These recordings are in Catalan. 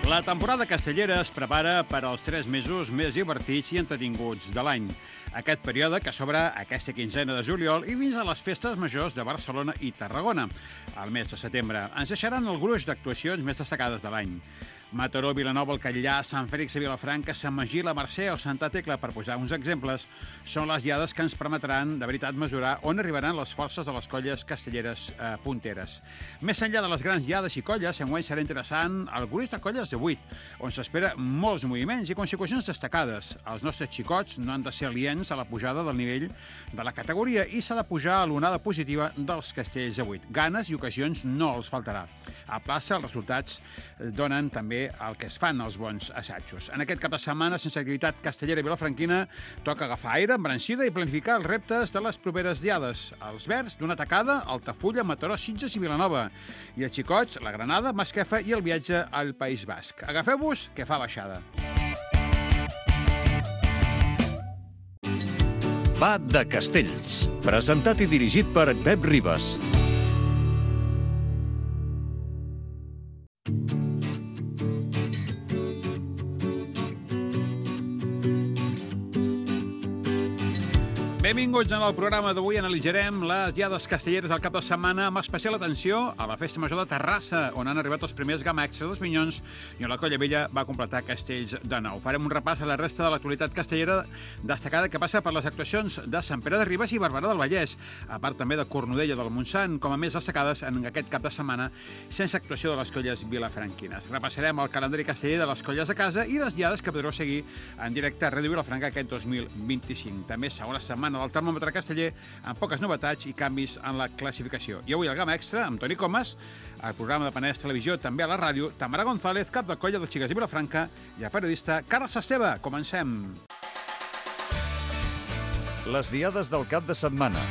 La temporada castellera es prepara per als 3 mesos més divertits i entretinguts de l'any. Aquest període que s'obre aquesta quinzena de juliol i fins a les festes majors de Barcelona i Tarragona. Al mes de setembre ens deixaran el gruix d'actuacions més destacades de l'any. Mataró, Vilanova, el Catllar, Sant Fèlix de Vilafranca, Sant Magí, la Mercè o Santa Tecla, per posar uns exemples, són les diades que ens permetran de veritat mesurar on arribaran les forces de les colles castelleres punteres. Més enllà de les grans diades i colles, enguany serà interessant el gruix de colles de 8, on s'espera molts moviments i consecucions destacades. Els nostres xicots no han de ser aliens a la pujada del nivell de la categoria i s'ha de pujar a l'onada positiva dels castells de 8. Ganes i ocasions no els faltarà. A plaça, els resultats donen també el que es fan els bons assajos. En aquest cap de setmana, sense activitat castellera i vilafranquina, toca agafar aire, embranzida i planificar els reptes de les properes diades. Els verds d'una tacada, Altafulla, Mataró, Sitges i Vilanova. I els xicots, la Granada, Masquefa i el viatge al País Basc. Agafeu-vos, que fa baixada. Va de Castells, presentat i dirigit per Pep Ribas. Benvinguts en el programa d'avui. Analitzarem les diades castelleres del cap de setmana amb especial atenció a la Festa Major de Terrassa, on han arribat els primers Gamma Extra dels Minyons i on la Colla Vella va completar castells de nou. Farem un repàs a la resta de l'actualitat castellera destacada que passa per les actuacions de Sant Pere de Ribes i Barberà del Vallès, a part també de Cornudella del Montsant, com a més destacades en aquest cap de setmana, sense actuació de les colles vilafranquines. Repassarem el calendari casteller de les colles de casa i les diades que podreu seguir en directe a Ràdio Vilafranca aquest 2025. També segona setmana del termòmetre casteller amb poques novetats i canvis en la classificació. I avui el Gamma Extra amb Toni Comas, el programa de Penedès Televisió, també a la ràdio, Tamara González, cap de colla de xiques de Vilafranca, i el periodista Carles Esteve. Comencem. Les diades del cap de setmana.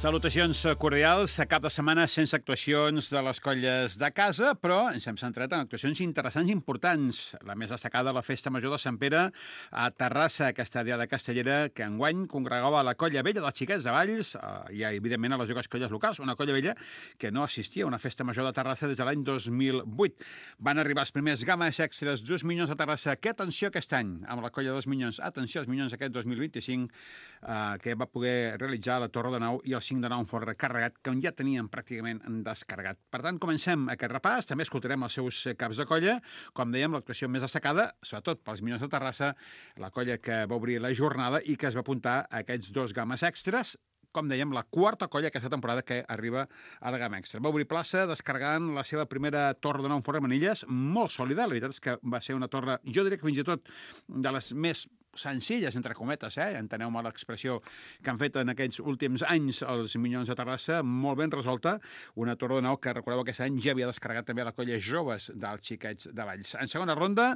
Salutacions cordials. A cap de setmana sense actuacions de les colles de casa, però ens hem centrat en actuacions interessants i importants. La més destacada, la Festa Major de Sant Pere a Terrassa, aquesta diada castellera que enguany congregava la Colla Vella dels Xiquets de Valls i, evidentment, a les dues colles locals. Una Colla Vella que no assistia a una Festa Major de Terrassa des de l'any 2008. Van arribar els primers Gammes Extres dels Minyons de Terrassa. Que atenció aquest any amb la Colla dels Minyons. Atenció als Minyons aquest 2025 que va poder realitzar la Torre de Nau i el 5 de Nau en forn recarregat, que ja tenien pràcticament descarregat. Per tant, comencem aquest repàs. També escoltarem els seus caps de colla. Com dèiem, l'actuació més destacada, sobretot pels Minyons de Terrassa, la colla que va obrir la jornada i que es va apuntar a aquests 2 Gammes Extres. Com dèiem, la quarta colla aquesta temporada que arriba a la Gamma Extra. Va obrir plaça descarregant la seva primera torre de nou en forn de manilles, molt sòlida. La veritat és que va ser una torre, jo diria que fins i tot de les més senzilles, entre cometes, enteneu-me l'expressió que han fet en aquests últims anys els Minyons de Terrassa, molt ben resolta, una torre de nau que, recordeu, aquest any ja havia descarregat també la colla joves dels Xiquets de Valls. En segona ronda,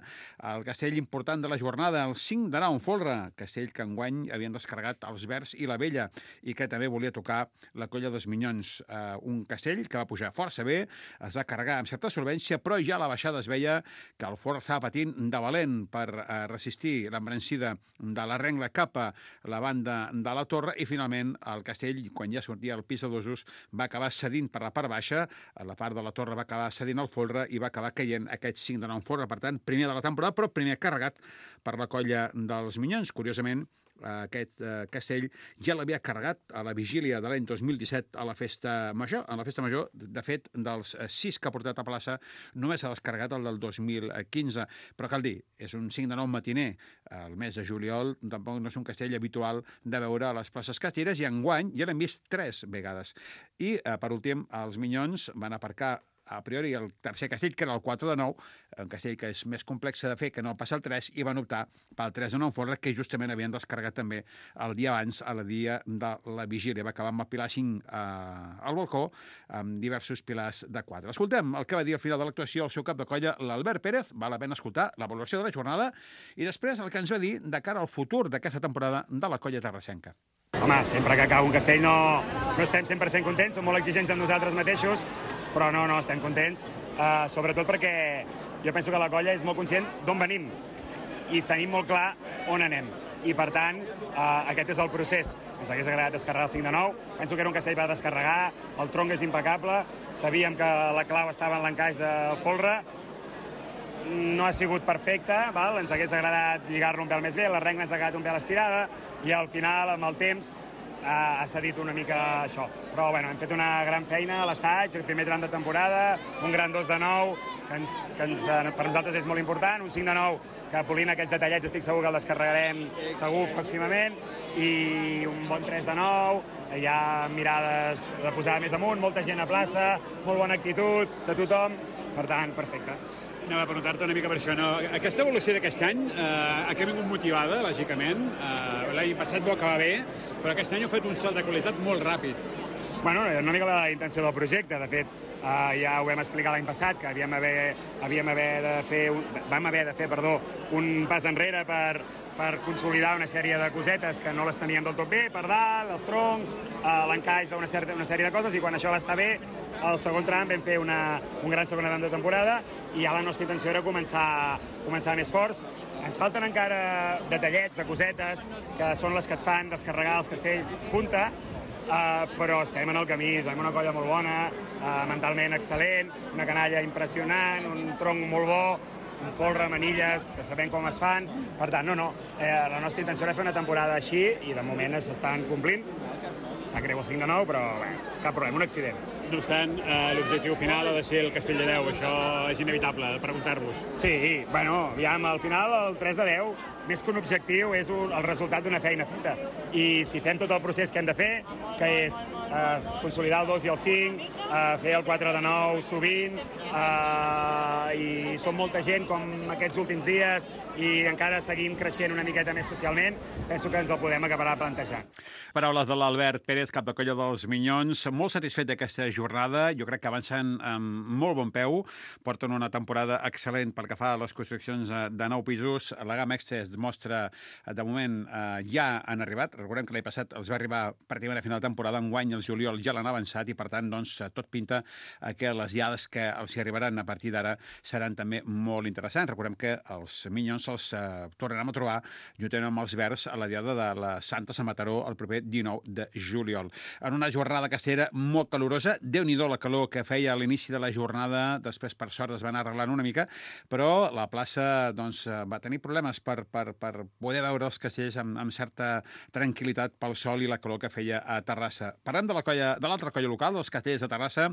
el castell important de la jornada, el 5 de Nau en folre, castell que enguany havien descarregat els Verds i la Vella i que també volia tocar la colla dels Minyons. Un castell que va pujar força bé, es va carregar amb certa solvència, però ja a la baixada es veia que el fort estava patint de valent per resistir l'embranzida de la rengla cap a la banda de la torre i finalment el castell, quan ja sortia al pis de dosos, va acabar cedint per la part baixa, la part de la torre va acabar cedint al folre i va acabar caient aquest 5 de 9 en folre. Per tant, primer de la temporada, però primer carregat per la colla dels Minyons. Curiosament, aquest castell ja l'havia carregat a la vigília de l'any 2017 a la Festa Major. En la Festa Major, de fet, dels 6 que ha portat a plaça, només ha descarregat el del 2015. Però cal dir, és un 5 de 9 matiner. El mes de juliol tampoc no és un castell habitual de veure a les places castelleres i enguany ja l'hem vist 3 vegades. I, per últim, els Minyons van aparcar a priori el tercer castell, que era el 4 de 9, un castell que és més complex de fer que no passa el 3, i van optar pel 3 de 9 en folre, que justament havien descarregat també el dia abans, a la dia de la vigília. Va acabar amb el pilar 5 al balcó, amb diversos pilars de 4. Escoltem el que va dir al final de l'actuació el seu cap de colla, l'Albert Pérez. Val la pena escoltar la valoració de la jornada i després el que ens va dir de cara al futur d'aquesta temporada de la colla terrassenca. Home, sempre que acaba un castell no estem 100% contents, som molt exigents amb nosaltres mateixos, però no estem contents, sobretot perquè jo penso que la colla és molt conscient d'on venim i tenim molt clar on anem. i per tant aquest és el procés. Ens hagués agradat descarregar el 5 de 9, penso que era un castell per descarregar, el tronc és impecable, sabíem que la clau estava en l'encaix de folre, no ha sigut perfecte, val? Ens hagués agradat lligar-lo un pèl més bé, la regla ens ha quedat un pèl estirada i al final, amb el temps, ha cedit una mica això. Però bueno, hem fet una gran feina a l'assaig, el primer tram de temporada, un gran 2 de 9, que per nosaltres és molt important, un 5 de 9, que polint aquests detallets estic segur que el descarregarem segur pròximament, i un bon 3 de 9, hi ha mirades de posar més amunt, molta gent a plaça, molt bona actitud de tothom, per tant, perfecte. Anava a preguntar-te una mica per això. No? Aquesta evolució d'aquest any ha vingut motivada, lògicament. L'any passat va acabar bé, però aquest any heu fet un salt de qualitat molt ràpid. Bueno, una mica la intenció del projecte. De fet, ja ho vam explicar l'any passat, que vam haver de fer un pas enrere per consolidar una sèrie de cosetes que no les teníem del tot bé, per dalt, els troncs, l'encaix d'una sèrie de coses, i quan això va estar bé, al segon tram vam fer un gran segon tram de temporada, i ja la nostra intenció era començar més forts. Ens falten encara detallets de cosetes que són les que et fan descarregar els castells punta, però estem en el camí, som una colla molt bona, mentalment excel·lent, una canalla impressionant, un tronc molt bo, un folre, manilles, que sabem com es fan. Per tant, la nostra intenció era fer una temporada així i de moment s'estan complint. Sap greu el 5 de 9, però bé, cap problema, un accident. No obstant, l'objectiu final ha de ser el Castell de 10, això és inevitable, preguntar-vos. Sí, bueno, aviam, al final el 3 de 10, més que un objectiu, és el resultat d'una feina feta. I si fem tot el procés que hem de fer, que és consolidar el 2 i el 5, fer el 4 de 9 sovint, i som molta gent com aquests últims dies i encara seguim creixent una miqueta més socialment, penso que ens el podem acabar plantejant. Paraules de l'Albert Pérez, cap de colla dels Minyons. Molt satisfet d'aquesta jornada. Jo crec que avancen amb molt bon peu. Porten una temporada excel·lent pel que fa a les construccions de 9 pisos. La gamma extra es demostra, de moment, ja han arribat. Recordem que l'any passat els va arribar pràcticament a final de temporada. Enguany, el juliol ja l'han avançat i, per tant, doncs, tot pinta que les diades que els hi arribaran a partir d'ara seran també molt interessants. Recordem que els Minyons els tornarem a trobar juntament amb els Verds a la diada de la Santa Sant Mataró el proper 19 de juliol. En una jornada castellera molt calorosa, Déu-n'hi-do la calor que feia a l'inici de la jornada, després per sort es va anar arreglant una mica, però la plaça doncs, va tenir problemes per poder veure els castells amb certa tranquil·litat pel sol i la calor que feia a Terrassa. Parlem de l'altra colla local, dels castells de Terrassa,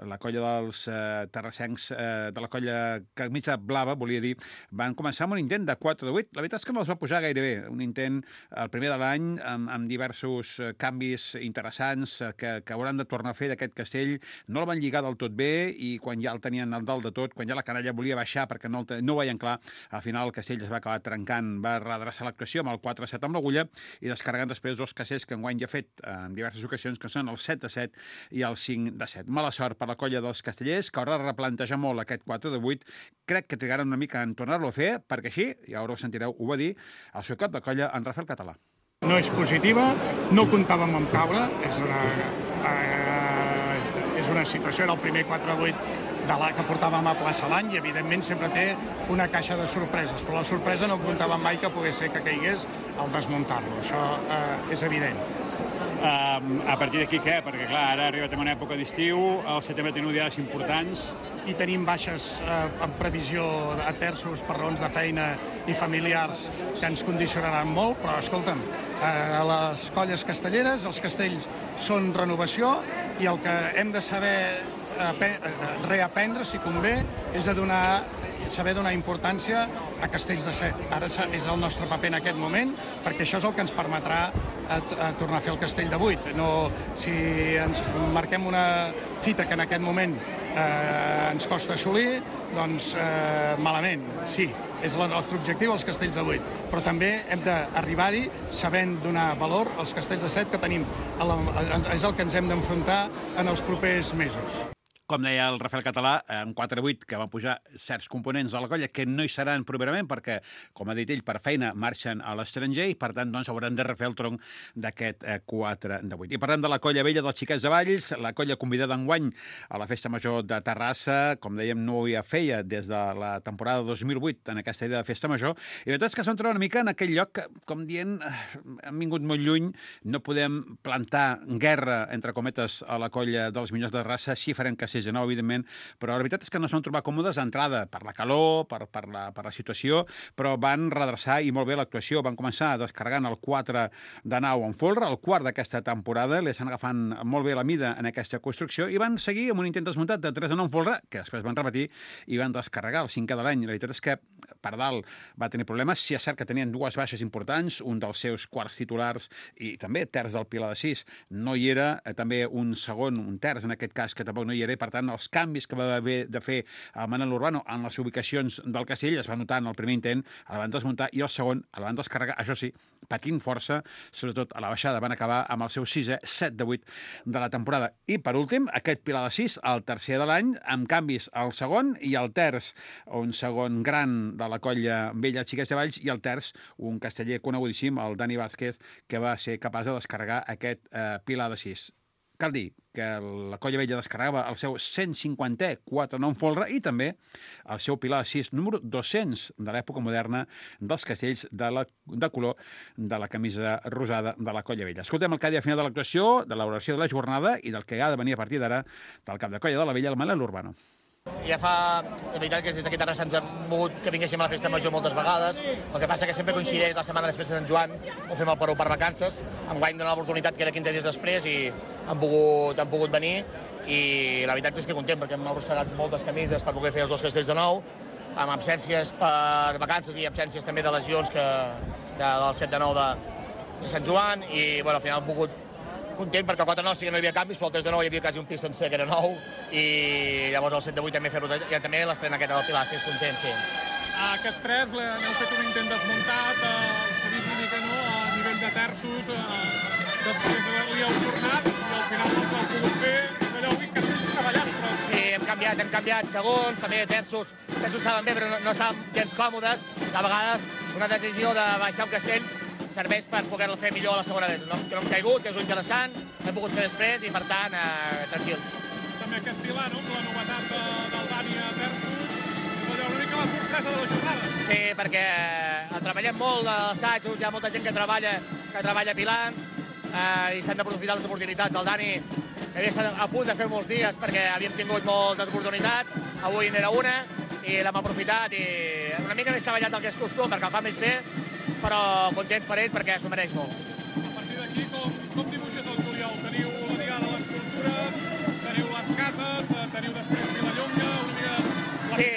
la colla dels terrassencs, de la colla Camisa Blava, volia dir, van començar amb un intent de 4 de 8. La veritat és que no els va pujar gaire bé. Un intent, el primer de l'any, amb diversos canvis interessants que hauran de tornar a fer d'aquest castell. No el van lligar del tot bé i quan ja el tenien al dalt de tot, quan ja la canalla volia baixar perquè no ho veien clar, al final el castell es va acabar trencant, va redreçar l'actuació amb el 4-7 amb l'agulla i descarregant després dos castells que enguany ja ha fet en diverses ocasions, que són el 7-7 i el 5-7. Mala sort per la colla dels castellers, que haurà de replantejar molt aquest 4 de 8. Crec que trigaran una mica en tornar-lo a fer, perquè així, ja ho sentireu, ho va dir el seu cap de colla, en Rafael Català. No és positiva, no comptàvem amb caure, és una situació, era el primer 4 de 8 que portàvem a plaça l'any i evidentment sempre té una caixa de sorpreses, però la sorpresa no comptàvem mai que pogués ser que caigués al desmuntar-lo, això és evident. A partir d'aquí què? Perquè clar, ara arriba també una època d'estiu, al setembre tenim diades importants. I tenim baixes en previsió a terços per raons de feina i familiars que ens condicionaran molt, però escolta'm, a les colles castelleres els castells són renovació i el que hem de saber reaprendre, si convé, és saber donar importància a castells de 7. Ara és el nostre paper en aquest moment, perquè això és el que ens permetrà tornar a fer el castell de 8. Si ens marquem una fita que en aquest moment ens costa assolir, doncs malament, sí, és el nostre objectiu, els castells de 8, però també hem d'arribar-hi sabent donar valor als castells de 7 que tenim, és el que ens hem d'enfrontar en els propers mesos. Com deia el Rafael Català, en 4-8 que van pujar certs components de la colla que no hi seran properament perquè, com ha dit ell, per feina marxen a l'estranger i, per tant, doncs, hauran de refer el tronc d'aquest 4-8. I parlem de la colla vella dels Xiquets de Valls, la colla convidada enguany a la Festa Major de Terrassa, com dèiem, no ho feia des de la temporada 2008 en aquesta idea de Festa Major, i la veritat és que es van trobar una mica en aquell lloc que, com dient, hem vingut molt lluny, no podem plantar guerra, entre cometes, a la colla dels Minyons de Terrassa, sí farem que de nou, evidentment, però la veritat és que no es van trobar còmodes d'entrada per la calor, per la situació, però van redreçar i molt bé l'actuació. Van començar descarregant el 4 de nau en folre, el quart d'aquesta temporada, li estan agafant molt bé la mida en aquesta construcció i van seguir amb un intent desmuntat de 3 de 9 en folre, que després van repetir i van descarregar el 5 de l'any. La veritat és que per dalt va tenir problemes. Sí, és cert que tenien dues baixes importants, un dels seus quarts titulars i també terç del Pilar de 6 no hi era, també un segon, un terç en aquest cas, que tampoc no hi era. Per tant, els canvis que va haver de fer el Manel Urbano en les ubicacions del castell es va notar en el primer intent, el van desmuntar, i el segon el van descarregar, això sí, patint força, sobretot a la baixada. Van acabar amb el seu 6è, 7 de 8 de la temporada. I, per últim, aquest Pilar de 6, el tercer de l'any, amb canvis al segon i al terç, un segon gran de la colla vella Xiquets de Valls, i el terç, un casteller conegudíssim, el Dani Vázquez, que va ser capaç de descarregar aquest Pilar de 6. Cal dir que la colla vella descarregava el seu 150è 4-9 en folre i també el seu Pilar de 6 número 200 de l'època moderna dels castells de color de la camisa rosada de la colla vella. Escoltem el que ha dit al final de l'actuació, de l'oració de la jornada i del que ha de venir a partir d'ara del cap de colla de la vella, el Manel Urbano. Ja fa, de veritat, que des d'aquí Terrassa ens han mogut que vinguéssim a la Festa Major moltes vegades. El que passa que sempre coincideix la setmana després de Sant Joan, ho fem al Perú per vacances. Enguany dona l'oportunitat que era 15 dies després i han pogut venir. I la veritat és que content, perquè hem arrossegat moltes camises per poder fer els dos castells de nou, amb absències per vacances i absències també de lesions del 7 de 9 de Sant Joan. I bueno, al final hem pogut content perquè el 4 de 9 sí que no hi havia canvis, però el 3 de 9 hi havia quasi un pis sencer que era nou, i llavors el 7 de 8 també fer-ho, i també l'estrena aquesta del Pilar, si és content, sí. Aquest 3 n'heu fet un intent desmuntat, s'ha vist una mica a nivell de terços, després li heu tornat i al final no l'heu pogut fer, allò avui que esteu treballant, però... Sí, hem canviat segons, també terços saben bé, però no estàvem gens còmodes. A vegades una decisió de baixar un castell serveix per poder-lo fer millor a la segona vegada. Que no hem caigut, que és interessant, l'hem pogut fer després i, per tant, tranquils. També aquest Pilar, no?, la novetat del Dani a terços, és allò una mica la sorpresa de la jornada. Sí, perquè treballem molt a l'assaig, hi ha molta gent que treballa pilans i s'han d'aprofitar les oportunitats. El Dani havia estat a punt de fer molts dies perquè havíem tingut moltes oportunitats, avui n'era una i l'hem aprofitat i una mica més treballat del que és costum perquè el fa més bé, però content per ell perquè s'ho mereix molt. A partir d'aquí, com dibuixes el juliol? Teniu la diada de les cultures, teniu les cases, teniu després Vilallonga, una mica... Sí,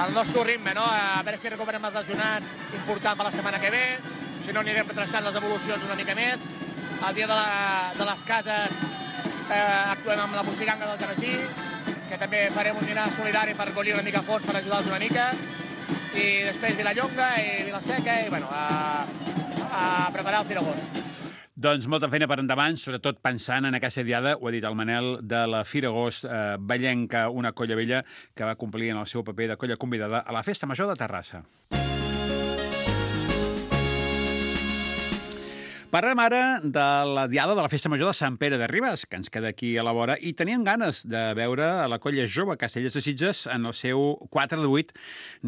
el nostre ritme, no? A veure si recuperem els lesionats, important per la setmana que ve, si no anirem retrasant les evolucions una mica més. El dia de les cases actuem amb la Mustiganga del Genesí, que també farem un dinar solidari per collir una mica fons per ajudar-los una mica, i després Vilallonga i Vilaseca i bueno, a preparar el Firagost. Doncs molta feina per endavant, sobretot pensant en aquesta diada, ho ha dit el Manel, de la Firagost Vallenca, una colla vella que va complir en el seu paper de colla convidada a la Festa Major de Terrassa. Parlem ara de la diada de la Festa Major de Sant Pere de Ribes, que ens queda aquí a la vora, i tenien ganes de veure a la colla jove Castellers de Sitges en el seu 4 de 8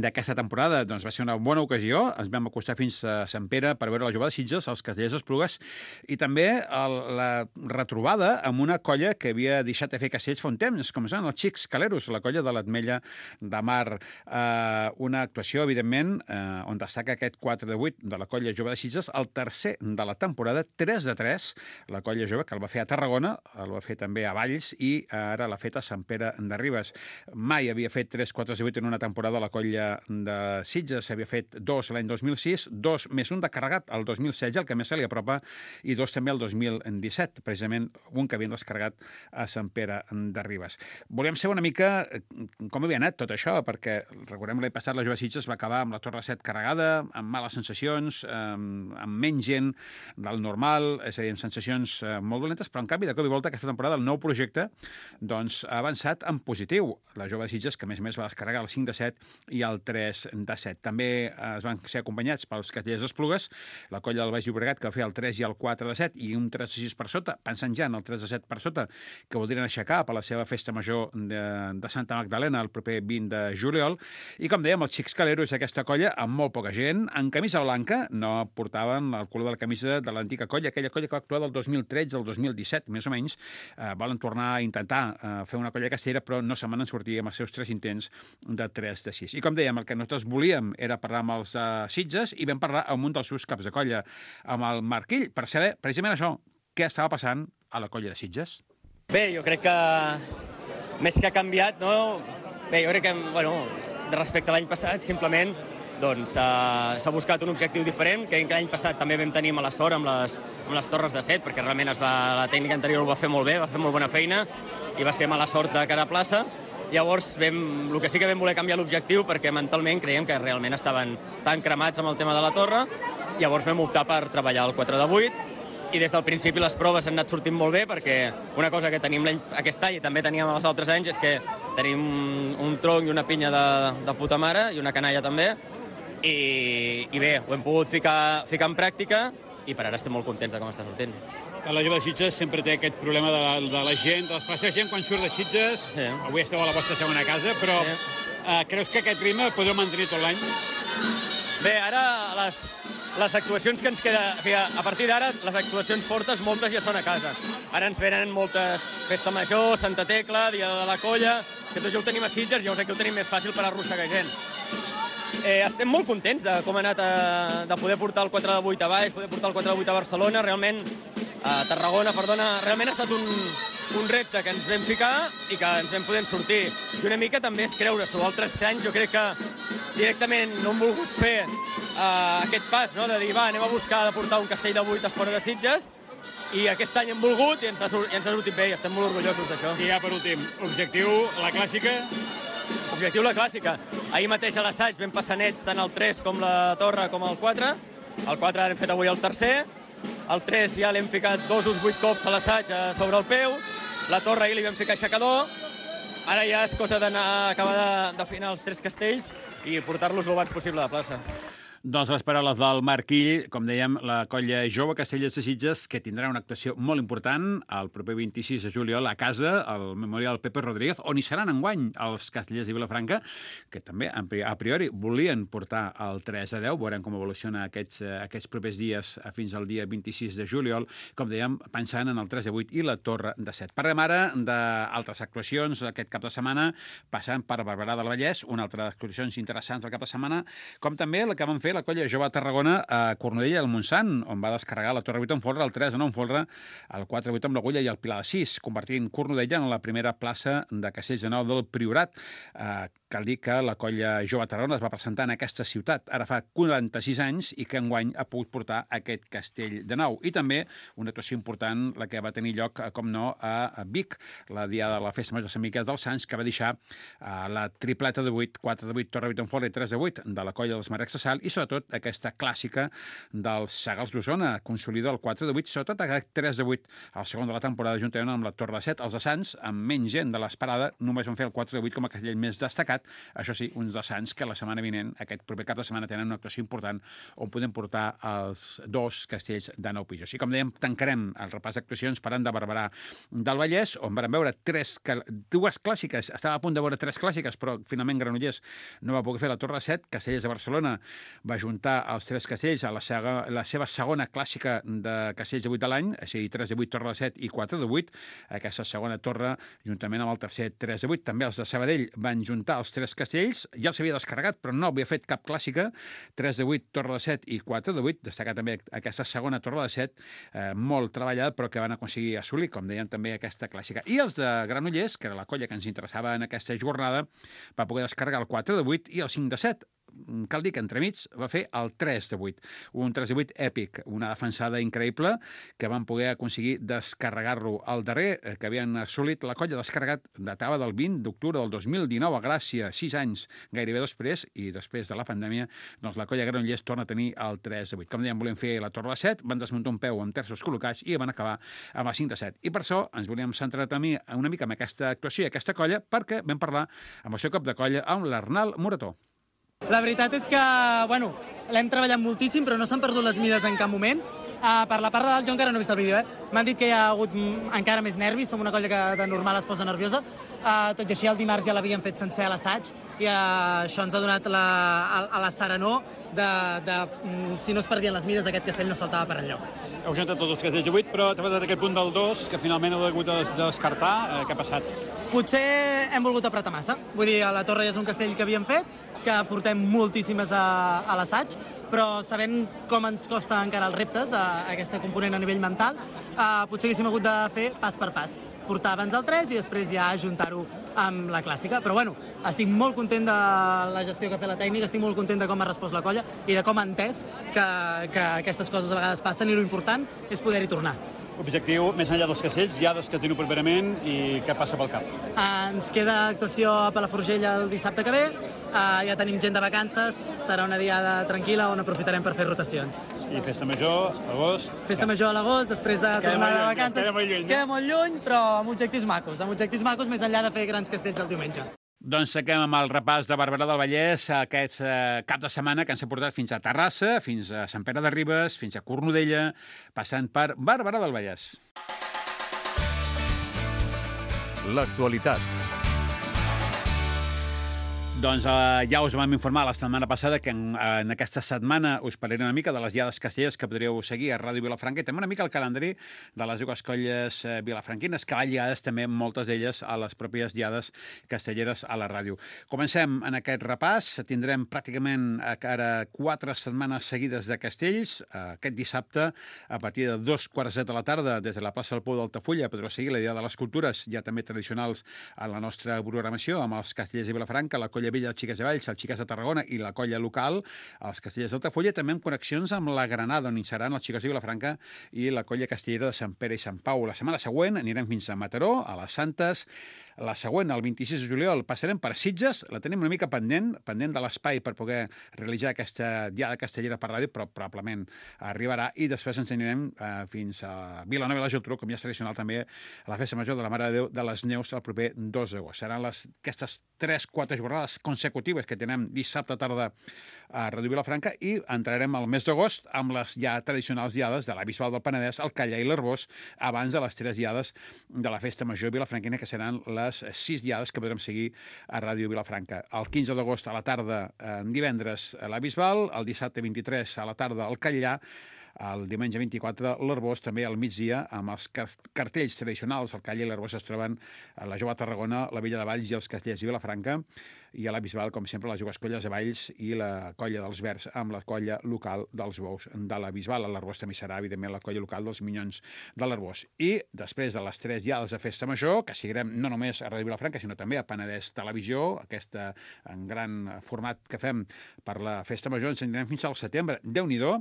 d'aquesta temporada. Doncs va ser una bona ocasió, ens vam acostar fins a Sant Pere per veure la jove de Sitges, els Castellers d'Esplugues, i també la retrobada amb una colla que havia deixat de fer castells fa un temps, com són els Xics Caleros, la colla de l'Atmella de Mar. Una actuació, evidentment, on destaca aquest 4 de 8 de la colla jove de Sitges, el tercer de la temporada, 3 de 3, la colla jove, que el va fer a Tarragona, el va fer també a Valls i ara l'ha fet a Sant Pere de Ribes. Mai havia fet 3 4 de 8 en una temporada la colla de Sitges, s'havia fet 2 l'any 2006, 2 més un de carregat el 2016, el que més se li apropa, i 2 també el 2017, precisament un que havien descarregat a Sant Pere de Ribes. Volíem saber una mica com havia anat tot això, perquè recordem l'any passat la jove Sitges va acabar amb la Torre 7 carregada, amb males sensacions, amb menys gent del normal, és a dir, amb sensacions molt dolentes, però en canvi, de cop i volta, aquesta temporada, el nou projecte doncs, ha avançat en positiu. La Jove de Sitges, que a més va descarregar el 5 de 7 i el 3 de 7. També es van ser acompanyats pels Castellers d'Esplugues, la colla del Baix Llobregat, que va fer el 3 i el 4 de 7, i un 3 de 6 per sota, pensant ja en el 3 de 7 per sota, que voldrien aixecar per la seva festa major de Santa Magdalena el proper 20 de juliol. I com dèiem, els Xics Caleros, aquesta colla, amb molt poca gent, en camisa blanca, no portaven el color de la camisa de l'antiga colla, aquella colla que va actuar del 2013 al 2017, més o menys, volen tornar a intentar fer una colla castellera, però no se'n van sortir amb els seus 3 intents de 3 de 6. I com dèiem, el que nosaltres volíem era parlar amb els Sitges i vam parlar amb un dels seus caps de colla, amb el Marquill, per saber precisament això, què estava passant a la colla de Sitges. Bé, jo crec que més que ha canviat, no? Bé, jo crec que, bueno, respecte a l'any passat, simplement doncs s'ha buscat un objectiu diferent, que l'any passat també vam tenir mala sort amb les torres de set, perquè realment la tècnica anterior ho va fer molt bé, va fer molt bona feina, i va ser mala sort de cara a plaça. Llavors, el que sí que vam voler canviar l'objectiu, perquè mentalment creiem que realment estaven cremats amb el tema de la torre, llavors vam optar per treballar el 4 de 8, i des del principi les proves han anat sortint molt bé, perquè una cosa que tenim aquest any i també teníem els altres anys és que tenim un tronc i una pinya de puta mare, i una canalla també, i bé, ho hem pogut ficar en pràctica, i per ara estem molt contents de com està sortint. La Jove de Sitges sempre té aquest problema de la gent, de la gent quan surt de Sitges. Sí. Avui esteu a la vostra segona casa, però creus que aquest ritme el podeu mantenir tot l'any? Bé, ara les actuacions que ens queda... O sigui, a partir d'ara, les actuacions fortes, moltes ja són a casa. Ara ens venen moltes Festa Major, Santa Tecla, Dia de la Colla, que tot ja ho tenim a Sitges, llavors aquí ho tenim més fàcil per arrossegar gent. Estem molt contents de com ha anat de poder portar el 4 de 8 a Baix, poder portar el 4 de 8 a Barcelona, realment a Tarragona, perdona, realment ha estat un repte que ens vam ficar i que ens vam poder sortir. I una mica també és creure-s'ho. Altres anys jo crec que directament no hem volgut fer aquest pas, no? De dir, va, anem a buscar de portar un castell de 8 a fora de Sitges, i aquest any hem volgut i ens ha sortit bé i estem molt orgullosos d'això. I ja per últim, objectiu, la clàssica? Objectiu, la clàssica. Ahir mateix a l'assaig vam passar nets tant el 3 com la torre com el 4. El 4 l'hem fet avui el tercer. El 3 ja l'hem ficat 2 o 8 cops a l'assaig sobre el peu. La torre ahir li vam ficar aixecador. Ara ja és cosa d'acabar d'afinar els 3 castells i portar-los l'abans possible a la plaça. Doncs les paraules del Marquill, com dèiem, la colla jove Castellers de Sitges, que tindrà una actuació molt important el proper 26 de juliol a casa, al Memorial Pepe Rodríguez, on hi seran enguany els Castellers de Vilafranca, que també, a priori, volien portar el 3 a 10. Veurem com evoluciona aquests propers dies fins al dia 26 de juliol, com dèiem, pensant en el 3 de 8 i la torre de 7. Parlem ara d'altres actuacions aquest cap de setmana, passant per Barberà del Vallès, una altra actuacions interessants del cap de setmana, com també la que van fer la colla jove a Tarragona a Cornudella del Montsant, on va descarregar la torre 8 en folre, el 3 en folre, el 4 8 amb l'agulla i el pilar de 6, convertint Cornudella en la primera plaça de Castells de Nou del Priorat. Cal dir que la colla jove a Tarragona es va presentar en aquesta ciutat ara fa 46 anys i que enguany ha pogut portar aquest castell de nou. I també una actuació important, la que va tenir lloc, com no, a Vic, la diada de la Festa Major de Sant Miquel dels Sants, que va deixar la tripleta de 8, 4 de 8, torre 8 en folre i 3 de 8 de la colla dels Marecs de Sal, i sobretot aquesta clàssica dels Sagals d'Osona, consolida el 4 de 8, sobretot aquest 3 de 8 al segon de la temporada, juntament amb la torre de 7. Els de Sants, amb menys gent de l'esperada, només van fer el 4 de 8 com a castell més destacat. Això sí, uns de Sants que la setmana vinent, aquest proper cap de setmana, tenen una actuació important on podem portar els 2 castells de 9 pisos. I com dèiem, tancarem el repàs d'actuacions parlant de Barberà del Vallès, on vam veure 2 clàssiques. Estava a punt de veure 3 clàssiques, però finalment Granollers no va poder fer la torre de 7. Castellers de Barcelona va juntar els 3 castells a la seva segona clàssica de castells de 8 de l'any, és a dir, 3 de 8, torre de 7 i 4 de 8. Aquesta segona torre, juntament amb el tercer 3 de 8. També els de Sabadell van juntar els 3 castells, ja els havia descarregat, però no havia fet cap clàssica, 3 de 8, torre de 7 i 4 de 8, destacar també aquesta segona torre de 7, molt treballada, però que van aconseguir assolir, com deien, també aquesta clàssica. I els de Granollers, que era la colla que ens interessava en aquesta jornada, va poder descarregar el 4 de 8 i el 5 de 7, cal dir que entremig va fer el 3-8, un 3-8 èpic, una defensada increïble que van poder aconseguir descarregar-lo. El darrer que havien assolit la colla descarregat datava del 20 d'octubre del 2019 a Gràcia, 6 anys gairebé després, i després de la pandèmia, doncs la colla Granollers torna a tenir el 3-8. Com dèiem, volem fer la torre de 7, van desmuntar un peu amb terços col·locats i van acabar amb el 5-7. I per això ens volíem centrar també una mica en aquesta actuació i aquesta colla, perquè vam parlar amb el seu cap de colla, amb l'Arnal Morató. La veritat és que, bueno, l'hem treballat moltíssim, però no s'han perdut les mides en cap moment. Per la part de dalt, jo encara no he vist el vídeo, M'han dit que hi ha hagut encara més nervis, som una colla que de normal es posa nerviosa. Tot i així, el dimarts ja l'havíem fet sencer a l'assaig i això ens ha donat a la serenor de si no es perdien les mides, aquest castell no saltava per enlloc. Heu gentat tots els castells de 8, però t'ha passat aquest punt del 2, que finalment heu hagut de descartar. Què ha passat? Potser hem volgut apretar massa. Vull dir, la torre ja és un castell que havíem fet, que portem moltíssimes a l'assaig, però sabent com ens costa encara els reptes, aquesta component a nivell mental, potser haguéssim hagut de fer pas per pas. Portar abans el 3 i després ja ajuntar-ho amb la clàssica. Però bueno, estic molt content de la gestió que ha fet la tècnica, estic molt content de com ha respost la colla i de com ha entès que aquestes coses a vegades passen i l'important és poder-hi tornar. Objectiu, més enllà dels castells, diades que teniu properament i què passa pel cap? Ens queda actuació a Palafrugell el dissabte que ve, ja tenim gent de vacances, serà una diada tranquil·la on aprofitarem per fer rotacions. I festa major, agost? Festa major a l'agost, després de tornar de vacances. Queda molt lluny, però amb objectius macos, més enllà de fer grans castells el diumenge. Doncs seguim amb el repàs de Barberà del Vallès aquest cap de setmana que ens ha portat fins a Terrassa, fins a Sant Pere de Ribes, fins a Cornudella, passant per Barberà del Vallès. L'actualitat. Doncs ja us vam informar la setmana passada que en aquesta setmana us parlaré una mica de les diades castelleres que podríeu seguir a Ràdio Vilafranca i també una mica el calendari de les dues colles vilafranquines, que van lligades també moltes d'elles a les pròpies diades castelleres a la ràdio. Comencem en aquest repàs. Tindrem pràcticament ara 4 setmanes seguides de castells. Aquest dissabte, a partir de 2:15 de la tarda, des de la plaça del Pou d'Altafulla, podreu seguir la Diada de les Cultures, ja també tradicionals a la nostra programació, amb els castellers de Vilafranca, la colla vella, els Xiques de Valls, els Xiques de Tarragona i la colla local, els castellers d'Altafulla, també amb connexions amb la Granada, on hi seran els Xiques de Vilafranca i la colla castellera de Sant Pere i Sant Pau. La setmana següent anirem fins a Mataró, a les Santes. La següent, el 26 de juliol, passarem per Sitges, la tenim una mica pendent de l'espai per poder realitzar aquesta diada castellera per ràdio, però probablement arribarà, i després ens anirem fins a Vilanova i la Geltrú, com ja és tradicional també, a la festa major de la Mare de Déu de les Neus el proper 2 d'agost. Seran aquestes 3-4 jornades consecutives que tenim dissabte tarda a Ràdio Vilafranca i entrarem al mes d'agost amb les ja tradicionals diades de la Bisbal del Penedès, el Callar i l'Arbós, abans de les 3 diades de la festa major vilafranquina, que seran les 6 diades que podrem seguir a Ràdio Vilafranca. El 15 d'agost a la tarda, divendres, a la Bisbal, el dissabte 23 a la tarda al Callar, el diumenge 24 l'Arbós, també al migdia, amb els cartells tradicionals. El Callar i l'Arbós es troben a la Jove de Tarragona, la Vella de Valls i els Castellers de Vilafranca, i a la Bisbal, com sempre, les dues colles de Valls i la colla dels Verds amb la colla local dels Bous de la Bisbal. A l'Arbós també serà, evidentment, la colla local dels Minyons de l'Arbós. I després de les 3 diades de festa major, que seguirem no només a Ràdio Vilafranca, sinó també a Penedès Televisió, aquest en gran format que fem per la festa major, ens anirem fins al setembre. Déu-n'hi-do,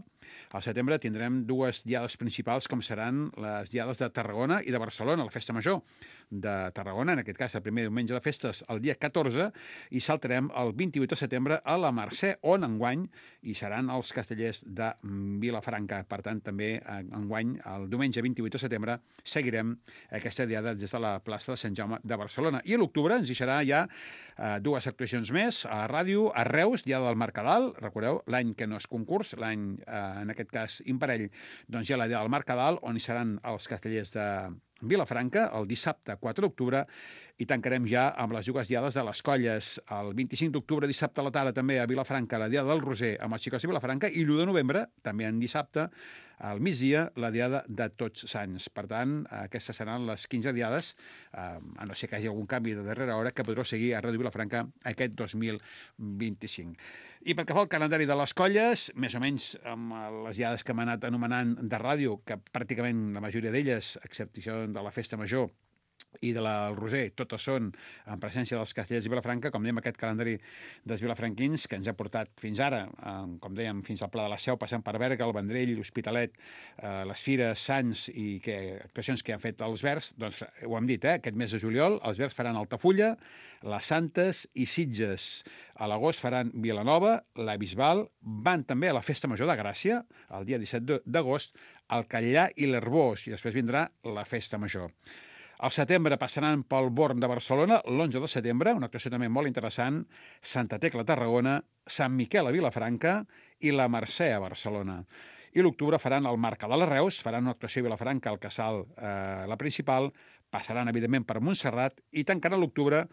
al setembre tindrem 2 diades principals, com seran les diades de Tarragona i de Barcelona, la festa major de Tarragona, en aquest cas el primer diumenge de festes, el dia 14, i saltarem el 28 de setembre a la Mercè, on enguany hi seran els castellers de Vilafranca. Per tant, també enguany, el diumenge 28 de setembre, seguirem aquesta diada des de la plaça de Sant Jaume de Barcelona. I a l'octubre ens hi serà ja 2 actuacions més a ràdio, a Reus, diada del Mercadal. Recordeu, l'any que no és concurs, l'any, en aquest cas, imparell, doncs ja la diada del Mercadal, on hi seran els castellers de Vilafranca, el dissabte 4 d'octubre, i tancarem ja amb les dues diades de les colles. El 25 d'octubre, dissabte a la tarda, també a Vilafranca, la diada del Roser amb els Xics de Vilafranca, i l'1 de novembre, també en dissabte, al migdia, la diada de Tots Sants. Per tant, aquestes seran les 15 diades, a no ser que hi hagi algun canvi de darrera hora, que podreu seguir a Ràdio Vilafranca aquest 2025. I pel que fa al calendari de les colles, més o menys amb les diades que hem anat anomenant de ràdio, que pràcticament la majoria d'elles, a excepció de la festa major, i del Roser, totes són en presència dels Castellers i Vilafranca, com dèiem, aquest calendari dels vilafranquins que ens ha portat fins ara, com dèiem, fins al Pla de la Seu, passant per Berga, el Vendrell, l'Hospitalet, les Fires, Sants i actuacions que han fet els Verds, doncs ho hem dit, aquest mes de juliol els Verds faran Altafulla, les Santes i Sitges. A l'agost faran Vilanova, la Bisbal, van també a la Festa Major de Gràcia, el dia 17 d'agost, al Catllà i l'Herbós, i després vindrà la Festa Major. Al setembre passaran pel Born de Barcelona, l'11 de setembre, una actuació també molt interessant, Santa Tecla a Tarragona, Sant Miquel a Vilafranca i la Mercè a Barcelona. I l'octubre faran el Mercadal a Reus, faran una actuació a Vilafranca, al Casal, la principal, passaran, evidentment, per Montserrat i tancaran l'octubre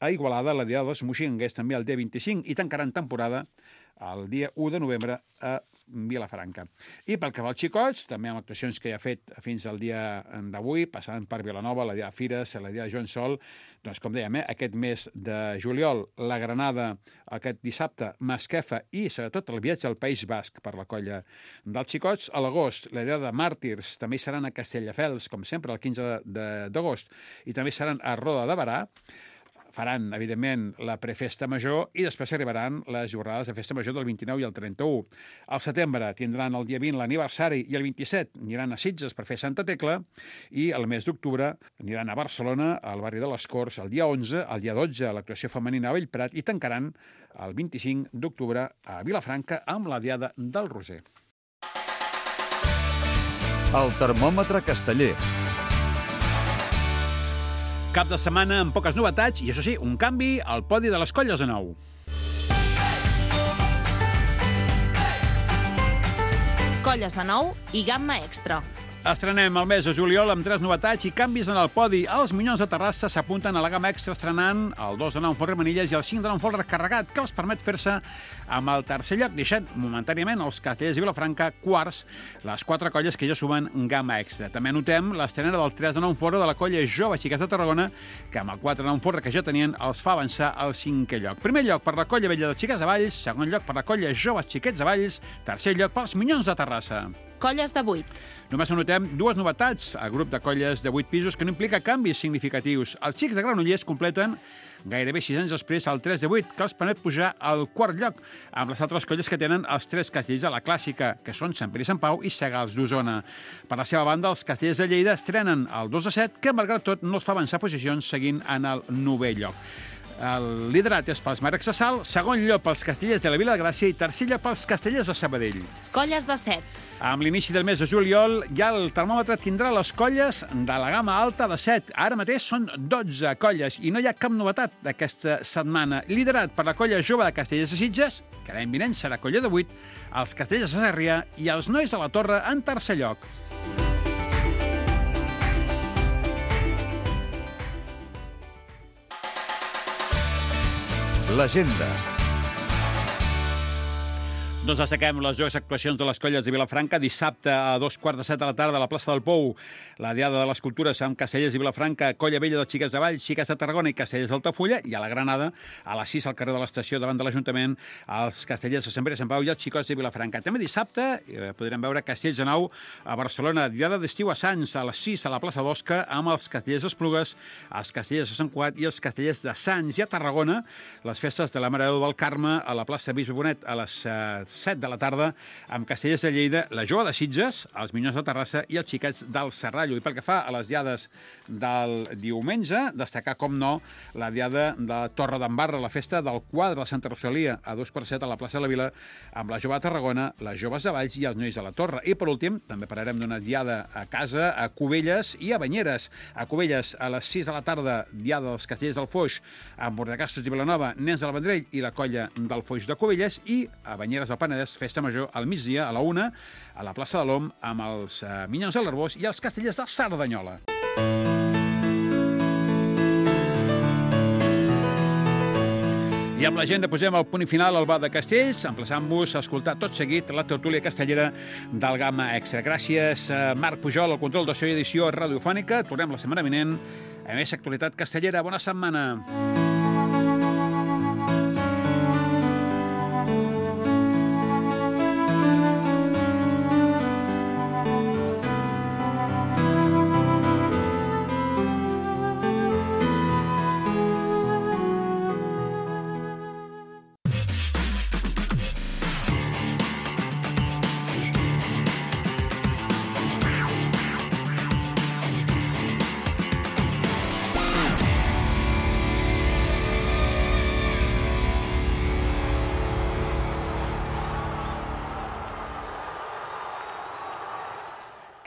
a Igualada, la Diada dels Moixinguers, també el dia 25, i tancaran temporada el dia 1 de novembre a Vilafranca. I pel que va als xicots, també amb actuacions que ja ha fet fins al dia d'avui, passant per Vilanova, la dia de Fires, la dia de Joan Sol, doncs com dèiem, aquest mes de juliol, la Granada, aquest dissabte, Masquefa i sobretot el viatge al País Basc per la colla dels xicots. A l'agost, la dia de Màrtirs, també seran a Castelldefels, com sempre, el 15 d'agost, i també seran a Roda de Barà. Faran, evidentment, la prefesta major i després arribaran les jornades de festa major del 29 i el 31. Al setembre tindran el dia 20 l'aniversari i el 27 aniran a Sitges per fer Santa Tecla i el mes d'octubre aniran a Barcelona, al barri de les Corts, el dia 11, el dia 12 l'actuació femenina a Bellprat i tancaran el 25 d'octubre a Vilafranca amb la Diada del Roser. El termòmetre casteller. Cap de setmana amb poques novetats i, això sí, un canvi al podi de les colles de nou. Colles de nou i gamma extra. Estrenem el mes de juliol amb 3 novetats i canvis en el podi. Els Minyons de Terrassa s'apunten a la gamma extra estrenant el 2 de nou en Folre Manilles i el 5 de nou en Folre Recarregat, que els permet fer-se amb el tercer lloc, deixant momentàniament els Castellers i Vilafranca quarts, les 4 colles que ja sumen gamma extra. També notem l'estrena del 3 de nou en Folre de la colla Jove Xiquets de Tarragona, que amb el 4 de nou en Folre que ja tenien els fa avançar al 5è lloc. Primer lloc per la colla Vella de Xiquets de Valls, segon lloc per la colla Joves Xiquets de Valls, tercer lloc pels Minyons de Terrassa. Colles de 8. Només anotem 2 novetats al grup de colles de 8 pisos que no implica canvis significatius. Els Xics de Granollers completen gairebé 6 anys després el 3 de 8, que els permet pujar al 4è lloc, amb les altres colles que tenen els 3 castells de la clàssica, que són Sant Pere i Sant Pau i Segals d'Osona. Per la seva banda, els castellers de Lleida estrenen el 2 de 7, que malgrat tot no els fa avançar posicions seguint en el 9è lloc. El liderat és pels Marcs de Salt, segon lloc pels Castellers de la Vila de Gràcia i tercer lloc pels Castellers de Sabadell. Colles de 7. Amb l'inici del mes de juliol, ja el termòmetre tindrà les colles de la gamma alta de 7. Ara mateix són 12 colles i no hi ha cap novetat d'aquesta setmana. Liderat per la colla Jove de Castellers de Sitges, que l'any vinent serà colla de 8, els Castellers de Sarrià i els Nois de la Torre en tercer lloc. L'agenda. Doncs destaquem les dues actuacions de les colles de Vilafranca. Dissabte a 2:15 de la tarda a la plaça del Pou, la Diada de les Cultures amb Castellers i Vilafranca, Colla Vella de Xiquets de Valls, Xiquets de Tarragona i Castellers d'Altafulla, i a la Granada, a les 6 al carrer de l'Estació davant de l'Ajuntament, els Castellers de Sant Pere i Sant Pau i els Xicots de Vilafranca. També dissabte podrem veure Castells de Nou a Barcelona, Diada d'estiu a Sants, a les 6 a la plaça d'Osca, amb els Castellers d'Esplugues, els Castellers de Sant Cugat i els Castellers de Sants. I a Tarragona, les festes de la Mare de Déu del Carme a la plaça Bisbe Bonet a les 7 de la tarda, amb Castellers de Lleida, la Jove de Sitges, els Minyons de Terrassa i els Xiquets del Serrallo. I pel que fa a les diades del diumenge, destacar, com no, la diada de Torre d'Embarra, la festa del quadre de Santa Rosalia, a 2:15 a la plaça de la Vila, amb la Jove de Tarragona, les Joves de Valls i els Nois de la Torre. I, per últim, també parlarem d'una diada a casa, a Cubelles i a Banyeres. A Cubelles, a les 6 de la tarda, diada dels Castellers del Foix, amb Bordecastos i Vilanova, Nens del Vendrell i la colla del Foix de Cubelles, i a Banyeres del Penedès, festa major al migdia, a la 1, a la plaça de l'Om, amb els Minyons de l'Arbós i els Castellers de Cerdanyola. I amb l'agenda posem el punt final al Bar de Castells, emplaçant-vos a escoltar tot seguit la tertúlia castellera del Gamma Extra. Gràcies a Marc Pujol, al control de so i edició radiofònica. Tornem la setmana vinent a més actualitat castellera. Bona setmana.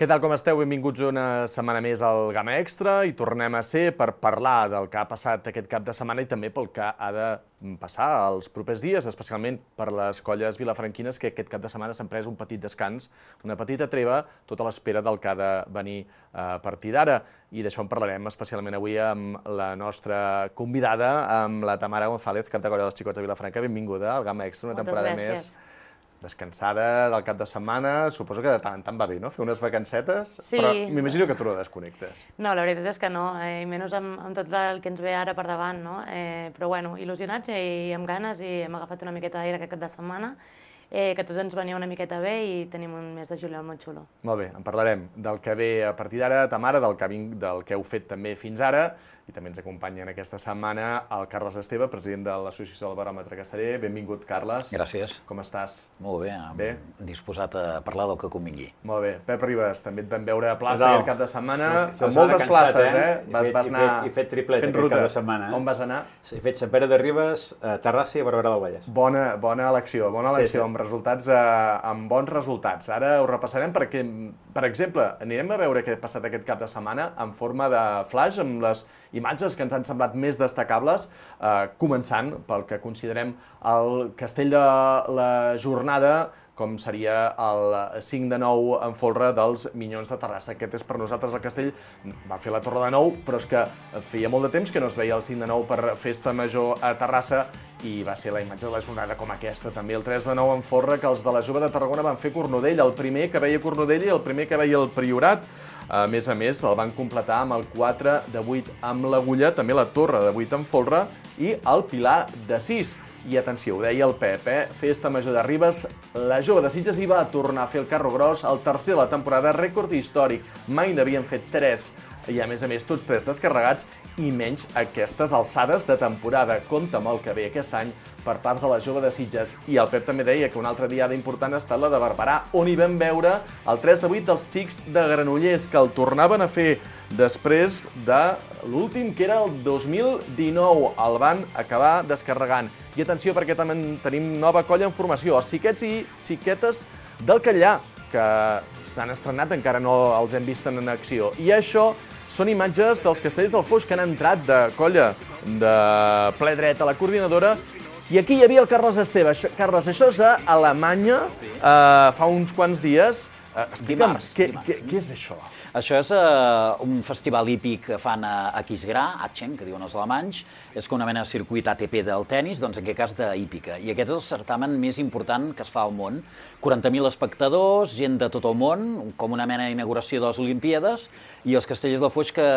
Què tal com esteu? Benvinguts una setmana més al Gamma Extra i tornem a ser per parlar del que ha passat aquest cap de setmana i també pel que ha de passar els propers dies, especialment per les colles vilafranquines que aquest cap de setmana s'han pres un petit descans, una petita treva, tot a l'espera del que ha de venir a partir d'ara. I d'això en parlarem especialment avui amb la nostra convidada, amb la Tamara González, cap de colla dels Xicots de Vilafranca. Benvinguda al Gamma Extra, una temporada més descansada del cap de setmana. Suposo que de tant en tant va bé, no? Fer unes vacancetes, sí. Però m'imagino que tu no desconnectes. No, la veritat és que no, i menys amb tot el que ens ve ara per davant, no? Però bueno, il·lusionats i amb ganes i hem agafat una miqueta d'aire aquest cap de setmana, que tot ens venia una miqueta bé i tenim un mes de juliol molt xulo. Molt bé, en parlarem del que ve a partir d'ara, Tamara, del que heu fet també fins ara, i també ens acompanya en aquesta setmana el Carles Esteve, president de l'Associació del Baròmetre Casteller. Benvingut, Carles. Gràcies. Com estàs? Molt bé, disposat a parlar del que convingui. Molt bé. Pep Ribas, també et vam veure a plaça aquest cap de setmana, amb moltes places, Vas anar he fet triplet fent aquest ruta. cap de setmana. On vas anar? He fet Sant Pere de Ribes, Terrassa i Barberà del Vallès. Bona elecció, Sí. amb bons resultats. Ara ho repassarem perquè, per exemple, anirem a veure què ha passat aquest cap de setmana en forma de flash, amb les imatges que ens han semblat més destacables, començant pel que considerem el castell de la jornada, com seria el 5 de 9 en folre dels Minyons de Terrassa. Aquest és per nosaltres el castell. Va fer la Torre de Nou, però és que feia molt de temps que no es veia el 5 de 9 per Festa Major a Terrassa i va ser la imatge de la jornada com aquesta. També el 3 de 9 en folre, que els de la Jove de Tarragona van fer Cornudella, el primer que veia Cornudella i el primer que veia el Priorat. A més, el van completar amb el 4 de 8 amb l'Agulla, també la Torre de 8 en folre i el Pilar de 6. I atenció, ho deia el Pep, Festa Major de Ribes, la Jove de Sitges hi va tornar a fer el carro gros, el tercer de la temporada, rècord històric. Mai n'havien fet 3, i a més, tots 3 descarregats, i menys aquestes alçades de temporada. Compte amb el que ve aquest any per part de la Jove de Sitges. I el Pep també deia que una altra diada important ha estat la de Barberà, on hi vam veure el 3 de 8 dels Xics de Granollers, que el tornaven a fer després de l'últim, que era el 2019. El van acabar descarregant. I atenció, perquè també tenim nova colla en formació, els xiquets i xiquetes del Catllà, que s'han estrenat, encara no els hem vist en acció. I això són imatges dels castells del Foix que han entrat de colla de ple dret a la coordinadora. I aquí hi havia el Carles Esteve. Carles, això és a Alemanya, fa uns quants dies. Explica'm, què és això? Això és un festival hípic que fan a Aquisgrà, Aachen, que diuen els alemanys. És com una mena de circuit ATP del tennis, doncs en aquest cas d'hípica. I aquest és el certamen més important que es fa al món. 40.000 espectadors, gent de tot el món, com una mena d'inauguració de les Olimpíades, i els castellers del Foix que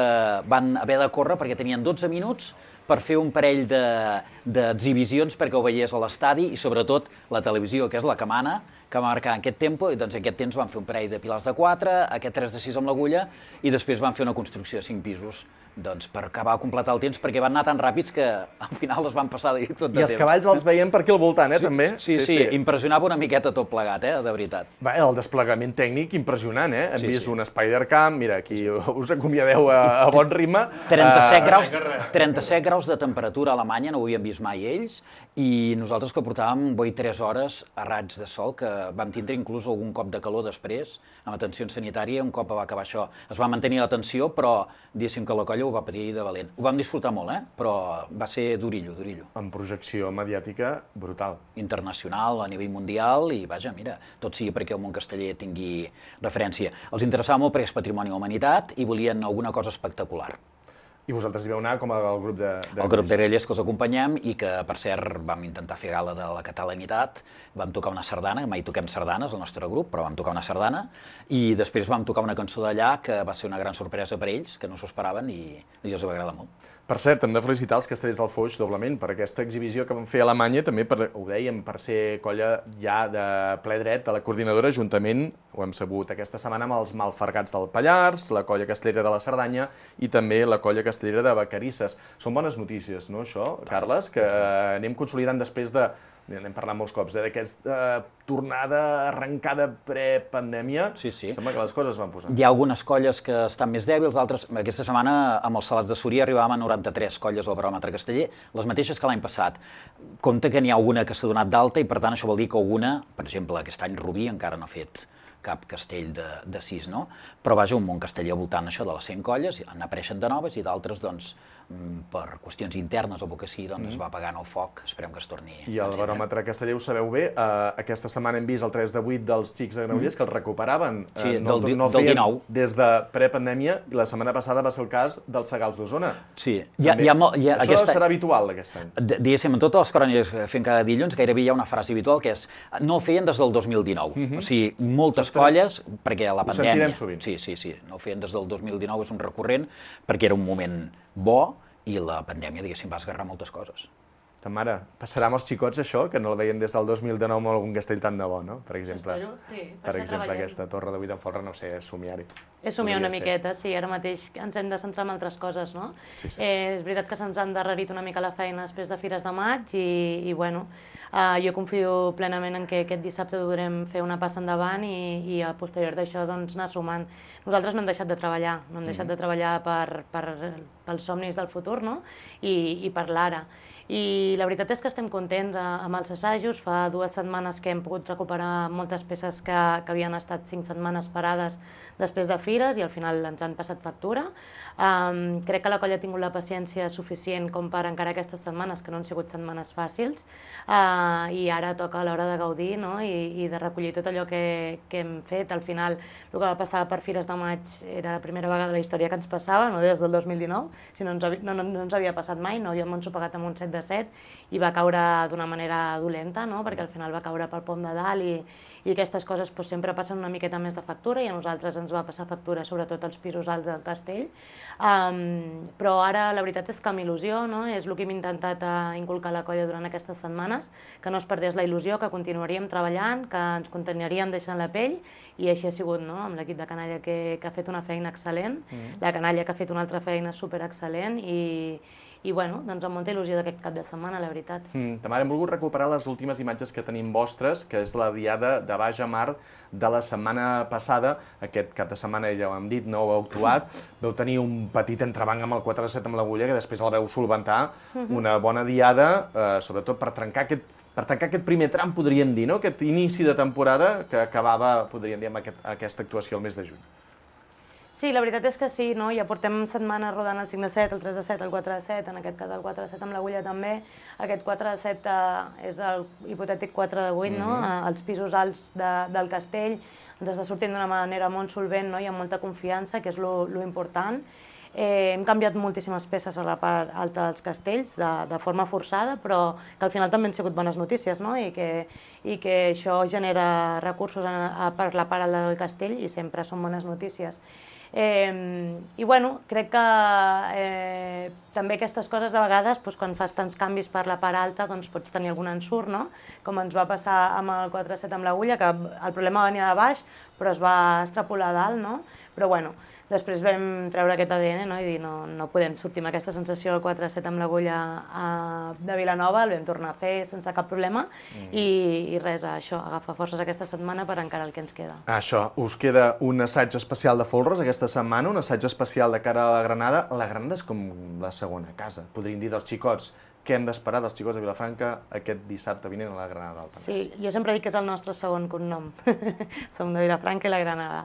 van haver de córrer perquè tenien 12 minuts per fer un parell d'exhibicions perquè ho veiés a l'estadi i sobretot la televisió, que és la que mana, que va marcar aquest tempo, i doncs en aquest temps van fer un parell de pilars de 4, aquest 3 de 6 amb l'Agulla, i després van fer una construcció de 5 pisos, doncs per acabar de completar el temps, perquè van anar tan ràpids que al final es van passar tot de temps. I els cavalls els veiem per aquí al voltant, també? Sí, impressionava una miqueta tot plegat, de veritat. El desplegament tècnic impressionant, Hem vist un Spider-Camp, mira, aquí us acomiadeu a bon ritme. 37 graus de temperatura a Alemanya, no ho havíem vist mai ells, i nosaltres que portàvem 3 hores a raigs de sol, que vam tindre inclús algun cop de calor després, amb atenció sanitària, un cop va acabar això. Es va mantenir la tensió, però diguéssim que la colla ho va patir de valent. Ho vam disfrutar molt, però va ser durillo. En projecció mediàtica brutal. Internacional, a nivell mundial, i vaja, mira, tot sigui perquè el món casteller tingui referència. Els interessava molt perquè és patrimoni de la humanitat i volien alguna cosa espectacular. I vosaltres hi vau anar com el grup de... El grup de grellers que els acompanyem i que, per cert, vam intentar fer gala de la catalanitat, vam tocar una sardana, mai toquem sardanes al nostre grup, però vam tocar una sardana, i després vam tocar una cançó d'allà que va ser una gran sorpresa per ells, que no s'ho esperaven i els va agradar molt. Per cert, hem de felicitar els castellers del Foix doblement per aquesta exhibició que van fer a Alemanya, també, ho dèiem, per ser colla ja de ple dret de la coordinadora, juntament, ho hem sabut aquesta setmana, amb els Malfergats del Pallars, la colla castellera de la Cerdanya i també la colla castellera de Vacarisses. Són bones notícies, no, això, Carles? Que anem consolidant després de... N'hem parlat molts cops, d'aquesta tornada arrencada pre-pandèmia. Sí. Sembla que les coses van posant. Hi ha algunes colles que estan més dèbils, altres... Aquesta setmana, amb els Salats de Súria, arribàvem a 93 colles al baròmetre casteller, les mateixes que l'any passat. Compte que n'hi ha alguna que s'ha donat d'alta i, per tant, això vol dir que alguna, per exemple, aquest any Rubí encara no ha fet cap castell de 6, no? Però vaja, un munt casteller al voltant això de les 100 colles, n'apareixen de noves i d'altres, doncs, per qüestions internes o pel que sigui, doncs es va apagant el foc, esperem que es torni a I el baròmetre casteller ho sabeu bé, aquesta setmana hem vist el 3 de 8 dels xics de Granollers que el recuperaven. Sí, no del feien 19. Des de prepandèmia, i la setmana passada va ser el cas dels Segals d'Osona. Sí. Això serà habitual aquest any. Diguéssim, en totes les cròniques que fem cada dilluns gairebé hi ha una frase habitual que és no ho feien des del 2019. O sigui, moltes colles, perquè la pandèmia... Ho sentirem sovint. Sí, no ho feien des del 2019, és un recurrent, perquè era un moment bo i la pandèmia, diguéssim, va esgarrar moltes coses. Ta mare, passarà amb els xicots això, que no el veiem des del 2019 amb algun castell tan de bo, no? Per exemple, aquesta torre de 8 en folre, no sé, és somiar-hi. És somiar una miqueta, sí, ara mateix ens hem de centrar en altres coses, no? Sí. És veritat que se'ns ha endarrerit una mica la feina després de Fires de Maig i bueno, jo confio plenament en que aquest dissabte podrem fer una passa endavant i a posterior d'això doncs anar sumant. Nosaltres no hem deixat de treballar, no hem deixat de treballar pels somnis del futur, no? I per l'ara. I la veritat és que estem contents amb els assajos. Fa 2 setmanes que hem pogut recuperar moltes peces que havien estat 5 setmanes parades després de Fires i al final ens han passat factura. Crec que la colla ha tingut la paciència suficient com per encarar aquestes setmanes, que no han sigut setmanes fàcils, i ara toca a l'hora de gaudir, no? I de recollir tot allò que hem fet. Al final, el que va passar per Fires de Maig era la primera vegada de la història que ens passava, no des del 2019, si no ens havia passat mai, no havíem ensopegat amb un 7 de 7 i va caure d'una manera dolenta, no? Perquè al final va caure pel pom de dalt i aquestes coses doncs, sempre passen una miqueta més de factura i a nosaltres ens va passar factura, sobretot als pisos alts del castell. Però ara la veritat és que amb il·lusió, no? És el que hem intentat inculcar a la colla durant aquestes setmanes, que no es perdés la il·lusió, que continuaríem treballant, que ens continuaríem deixant la pell i així ha sigut, no? Amb l'equip de canalla que ha fet una feina excel·lent, la canalla que ha fet una altra feina superexcel·lent i bueno, doncs amb molta il·lusió d'aquest cap de setmana, la veritat. Tamara, hem volgut recuperar les últimes imatges que tenim vostres, que és la diada de Baix a Mar de la setmana passada. Aquest cap de setmana, ja ho hem dit, no heu actuat. Veu tenir un petit entrebanc amb el 4-7 amb l'Agulla, que després el veu solventar. Una bona diada, sobretot per tancar aquest primer tram, podríem dir, no? Aquest inici de temporada que acabava, podríem dir, amb aquesta actuació el mes de juny. Sí, la veritat és que sí, no? Ja portem setmanes rodant el 5 de 7, el 3 de 7, el 4 de 7, en aquest cas el 4 de 7 amb l'Agulla també. Aquest 4 de 7 és el hipotètic 4 de 8, no? Els pisos alts del castell ens està sortint d'una manera molt solvent, no? I amb molta confiança, que és lo important. Hem canviat moltíssimes peces a la part alta dels castells de forma forçada, però que al final també han sigut bones notícies, no? I que això genera recursos per la part alta del castell i sempre són bones notícies. I bueno, crec que també aquestes coses de vegades, quan fas tants canvis per la part alta, doncs pots tenir algun ensurt, no? Com ens va passar amb el 4-7 amb l'Agulla, que el problema venia de baix, però es va extrapolar a dalt, no? Però bueno, després vam treure aquest ADN, no? I dir, no podem sortir amb aquesta sensació del 4-7 amb l'Agulla de Vilanova, el vam tornar a fer sense cap problema i res, això, agafar forces aquesta setmana per encarar el que ens queda. Això, us queda un assaig especial de folres aquesta setmana, un assaig especial de cara a la Granada. La Granada és com la segona casa, podríem dir, dels xicots. Què hem d'esperar dels xicots de Vilafranca aquest dissabte vinent a la Granada del Penedès? Sí, jo sempre dic que és el nostre segon cognom. Som de Vilafranca i la Granada.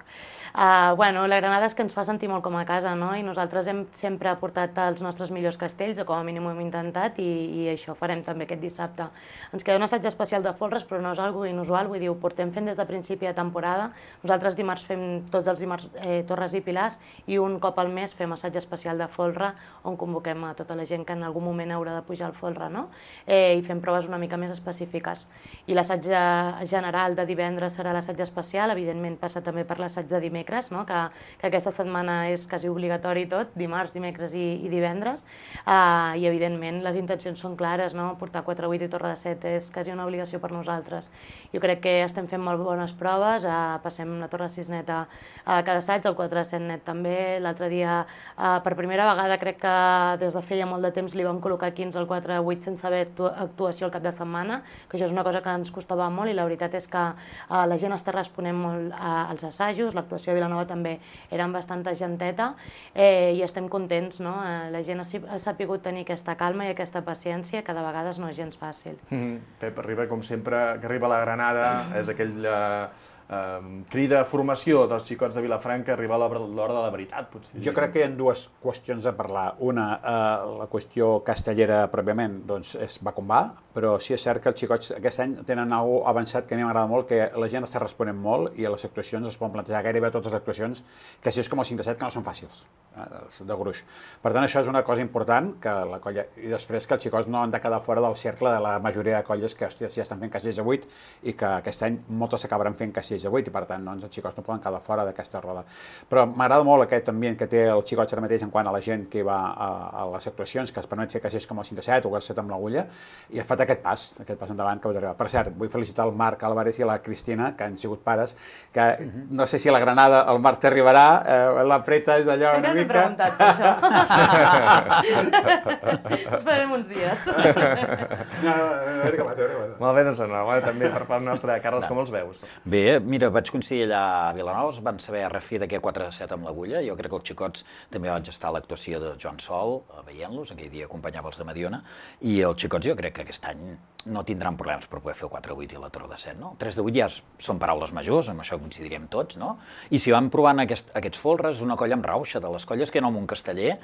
Bueno, la Granada és que ens fa sentir molt com a casa, no? I nosaltres hem sempre portat els nostres millors castells, o com a mínim ho hem intentat, i això farem també aquest dissabte. Ens queda un assaig especial de folres, però no és algo inusual, vull dir, ho portem fent des de principi de temporada. Nosaltres dimarts fem, tots els dimarts, Torres i Pilars, i un cop al mes fem assaig especial de folre, on convoquem a tota la gent que en algun moment haurà de pujar al folre, no? I fem proves una mica més específiques. I l'assaig general de divendres serà l'assaig especial, evidentment passa també per l'assaig de dimecres, no? Que aquesta setmana és quasi obligatori tot, dimarts, dimecres i divendres, i evidentment les intencions són clares, no? Portar 4-8 i Torre de 7 és quasi una obligació per nosaltres. Jo crec que estem fent molt bones proves, passem la Torre 6 net a cada assaig, el 4-7 net també. L'altre dia, per primera vegada, crec que des de feia molt de temps li vam col·locar 15 al 4-8 sense haver actuació al cap de setmana, que això és una cosa que ens costava molt i la veritat és que la gent està responent molt als assajos, l'actuació a Vilanova també era amb bastanta genteta i estem contents, no? La gent ha sapigut tenir aquesta calma i aquesta paciència que de vegades no és gens fàcil. Pep arriba, com sempre, que arriba a la Granada, és aquell crida a formació dels xicots de Vilafranca, arriba l'hora de la veritat, potser. Jo crec que hi ha dues qüestions a parlar. Una, la qüestió castellera pròpiament, doncs va com va, però sí és cert que els xicots aquest any tenen alguna avançat que a mi m'agrada molt, que la gent està responent molt i a les actuacions es poden plantejar gairebé totes les actuacions, que així és com el 5 de 7, que no són fàcils, de gruix. Per tant, això és una cosa important, que la colla... I després que els xicots no han de quedar fora del cercle de la majoria de colles que ja estan fent castells de 8 i que aquest any moltes s'acabaran fent castells de 8 i per tant doncs, els xicots no poden quedar fora d'aquesta roda. Però m'agrada molt aquest ambient que té els xicots ara mateix en quant a la gent que va a les actuacions, que es permet fer castells com el 5 de 7 o el 7 amb l'agulla, i ha fet aquest pas endavant que us arriba. Per cert, vull felicitar el Marc Álvarez i la Cristina, que han sigut pares, que no sé si a la Granada el Marc t'arribarà, la Preta és allò una mica... preguntat per això. Esperem uns dies. Molt bé, doncs enhorabona també per part nostra. Carles, com els veus? Bé, mira, vaig coincidir allà a Vilanova, van saber refer d'aquest 4-7 amb l'agulla. Jo crec que els xicots també vaig estar a l'actuació de Joan Sol, veient-los, aquell dia acompanyava els de Mediona, i els xicots jo crec que aquest any no tindran problemes per poder fer el 4-8 i la torre de 7, no? 3 de 8 ja són paraules majors, amb això coincidiríem tots, no? I si van provant aquests folres, una colla amb rauxa, de les colles que hi ha al Montcasteller,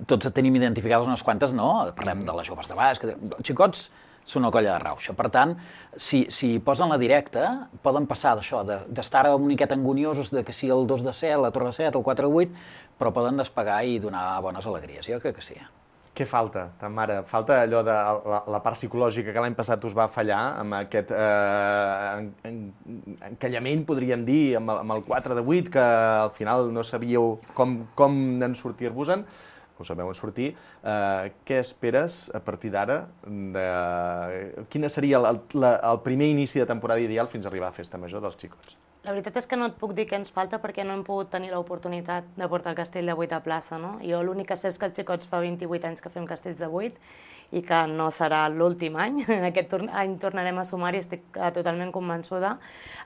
tots tenim identificades unes quantes, no? Parlem de les joves de baix, els xicots són una colla de rauxa. Per tant, si posen la directa, poden passar d'això, d'estar una miqueta angoniosos de que si el 2 de 7, la torre de 7, el 4-8, però poden despegar i donar bones alegries. Jo crec que sí. Què falta, Tamara? Falta allò de la part psicològica que l'any passat us va fallar, amb aquest encallament, podríem dir, amb el 4 de 8, que al final no sabíeu com en sortir-vos-en, ho sabeu en sortir. Què esperes a partir d'ara? Quin seria el primer inici de temporada ideal fins a arribar a Festa Major dels xicots? La veritat és que no et puc dir què ens falta perquè no hem pogut tenir l'oportunitat de portar el castell de 8 a plaça, no? Jo l'únic que sé és que els xicots fa 28 anys que fem castells de 8 i que no serà l'últim any. Aquest any tornarem a sumar i estic totalment convençuda.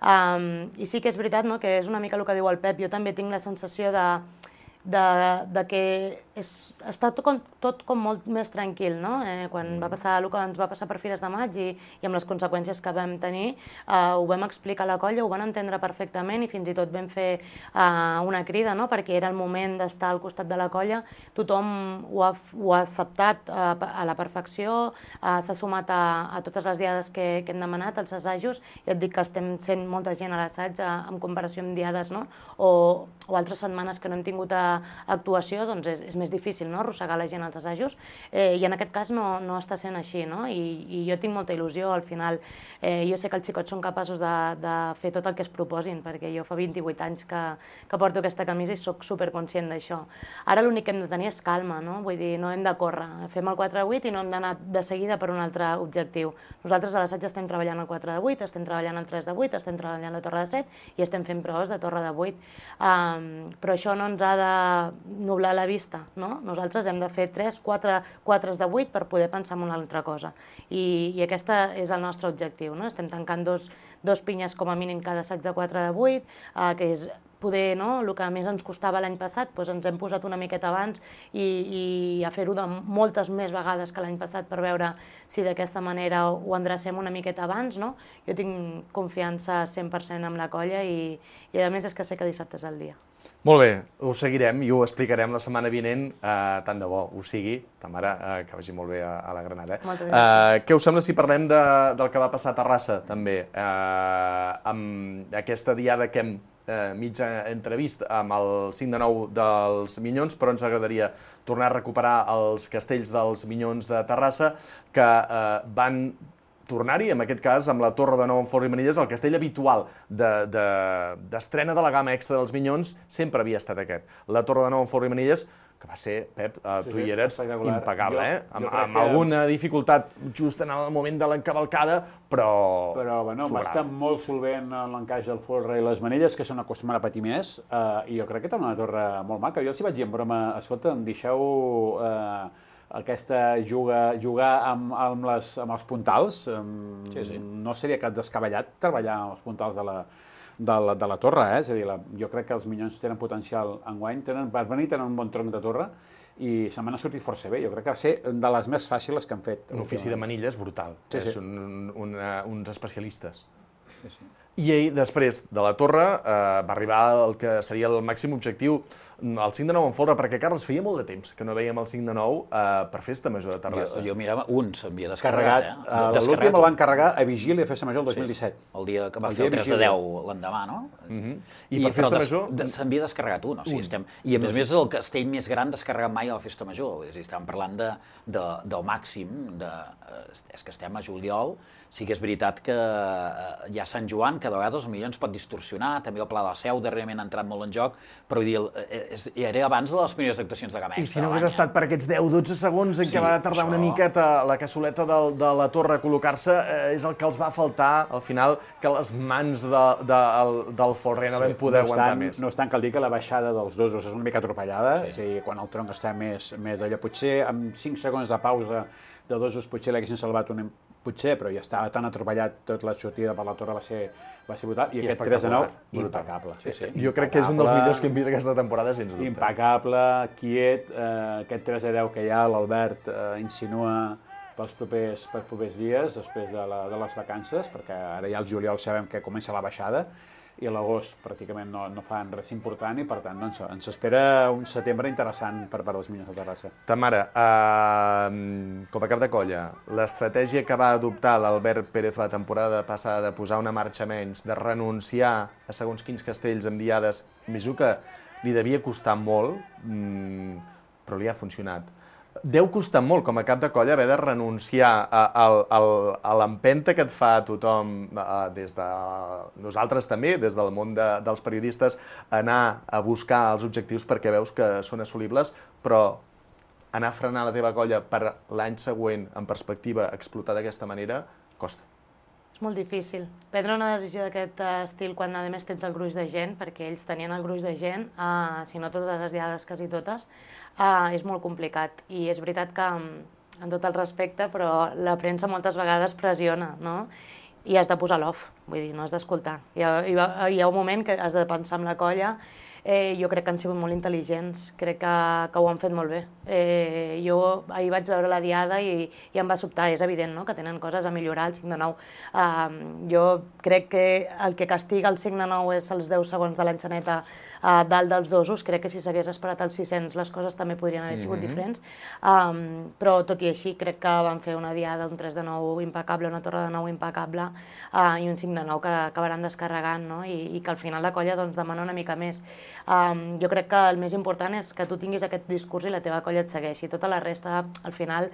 I sí que és veritat, no?, que és una mica el que diu el Pep. Jo també tinc la sensació de que està tot com molt més tranquil, no? Quan va passar el que ens va passar per Fires de Maig i amb les conseqüències que vam tenir, ho vam explicar a la colla, ho van entendre perfectament i fins i tot vam fer una crida, no? Perquè era el moment d'estar al costat de la colla, tothom ho ha acceptat a la perfecció, s'ha sumat a totes les diades que hem demanat, als assajos, i et dic que estem sent molta gent a l'assaig en comparació amb diades, no? O altres setmanes que no hem tingut actuació, doncs és més difícil, no?, arrossegar la gent als assajos, i en aquest cas no està sent així, no? I jo tinc molta il·lusió, al final. Jo sé que els xicots són capaços de fer tot el que es proposin, perquè jo fa 28 anys que porto aquesta camisa i soc superconscient d'això. Ara l'únic que hem de tenir és calma, no? Vull dir, no hem de córrer. Fem el 4-8 i no hem d'anar de seguida per un altre objectiu. Nosaltres a l'assaig estem treballant el 4-8, estem treballant el 3-8, estem treballant la torre de 7 i estem fent proves de torre de 8. Però això no ens ha de nublar la vista, no? Nosaltres hem de fer 4 de 8 per poder pensar en una altra cosa. I aquest és el nostre objectiu, no? Estem tancant dos pinyes com a mínim cada assaig de 4 de 8, que és poder, no?, el que més ens costava l'any passat, doncs ens hem posat una miqueta abans i a fer-ho de moltes més vegades que l'any passat per veure si d'aquesta manera ho endrecem una miqueta abans, no? Jo tinc confiança 100% en la colla i a més és que sé que dissabte és el dia. Molt bé, ho seguirem i ho explicarem la setmana vinent, tant de bo ho sigui. Tamara, que vagi molt bé a la Granada. Moltes gràcies. Què us sembla si parlem del que va passar a Terrassa, també, amb aquesta diada que hem mitja entrevist amb el 5 de 9 dels Minyons, però ens agradaria tornar a recuperar els castells dels Minyons de Terrassa, que van tornar-hi, en aquest cas, amb la Torre de Nou en Folre i Manilles, el castell habitual d'estrena de la gamma extra dels Minyons sempre havia estat aquest. La Torre de Nou en Folre i Manilles, que va ser, Pep, tu hi eres, impecable, amb alguna dificultat just en el moment de l'encavalcada, però bueno, va estar molt solvent l'encaix del folre i les manilles, que són acostumats a patir més, i jo crec que era una torre molt maca. Jo els hi vaig dir en broma, escolta, em deixeu aquesta jugar amb els puntals, no seria cap descabellat treballar amb els puntals de la torre, és a dir, jo crec que els Minyons tenen potencial enguany, per venir tenen un bon tronc de torre i se m'han sortit força bé, jo crec que va ser de les més fàcils que han fet. Un ofici de manilles brutal, són uns especialistes. I després de la Torre va arribar el que seria el màxim objectiu, el 5 de 9 en folre, perquè, Carles, feia molt de temps que no veiem el 5 de 9 per Festa Major de Terrassa. Jo mirava, un s'havia descarregat. L'últim el van carregar a Vigília de Festa Major el 2017. El dia que va fer el 3 de 10 l'endemà, no? I per Festa Major... S'havia descarregat un, o sigui, i a més és el castell més gran descarregat mai a la Festa Major. És a dir, estàvem parlant del màxim, és que estem a juliol. Sí que és veritat que hi ha Sant Joan, que de vegades els milions pot distorsionar, també el Pla de la Seu darrerament ha entrat molt en joc, però vull dir, era abans de les primeres actuacions de Gamma Extra. I si no hagués estat per aquests 10-12 segons en què va tardar una miqueta la cassoleta de la Torre a col·locar-se, és el que els va faltar, al final, que les mans del folre no vam poder aguantar més. No obstant, cal dir que la baixada dels dosos és una mica atropellada, és a dir, quan el tronc està més allò, potser amb 5 segons de pausa de dosos potser l'haguessin salvat potser, però ja estava tan atropellat, tot la sortida per la Torre va ser brutal, i aquest 3 de 9, impecable. Jo crec que és un dels millors que hem vist aquesta temporada, sense dubte. Impecable, quiet, aquest 3 de 10 que hi ha, l'Albert insinua pels propers dies, després de les vacances, perquè ara ja al juliol sabem que comença la baixada, i a l'agost pràcticament no fan res important i, per tant, ens espera un setembre interessant per part dels Minyons de Terrassa. Tamara, com a cap de colla, l'estratègia que va adoptar l'Albert Pérez la temporada passada de posar una marxa menys, de renunciar a segons quins castells amb diades, m'imagino que li devia costar molt, però li ha funcionat. Deu costar molt, com a cap de colla, haver de renunciar a l'empenta que et fa tothom, des de nosaltres també, des del món dels periodistes, anar a buscar els objectius perquè veus que són assolibles, però anar a frenar la teva colla per l'any següent, en perspectiva, explotar d'aquesta manera, costa. És molt difícil. Prendre una decisió d'aquest estil quan, a més, tens el gruix de gent, perquè ells tenien el gruix de gent, si no totes les diades, quasi totes, és molt complicat. I és veritat que, amb tot el respecte, però la premsa moltes vegades pressiona, no? I has de posar l'off, vull dir, no has d'escoltar. Hi ha un moment que has de pensar en la colla. Jo crec que han sigut molt intel·ligents, crec que ho han fet molt bé. Jo ahir vaig veure la diada i em va sobtar, és evident, no?, que tenen coses a millorar al 5 de 9. Jo crec que el que castiga el 5 de 9 és els 10 segons de l'enxaneta dalt dels dosos, crec que si s'hagués esperat als 600 les coses també podrien haver sigut diferents, però tot i així crec que van fer una diada, un 3 de 9 impecable, una torre de 9 impecable i un 5 de 9 que acabaran descarregant, no?, i que al final la colla demana una mica més. Jo crec que el més important és que tu tinguis aquest discurs i la teva colla et segueixi. Tota la resta, al final,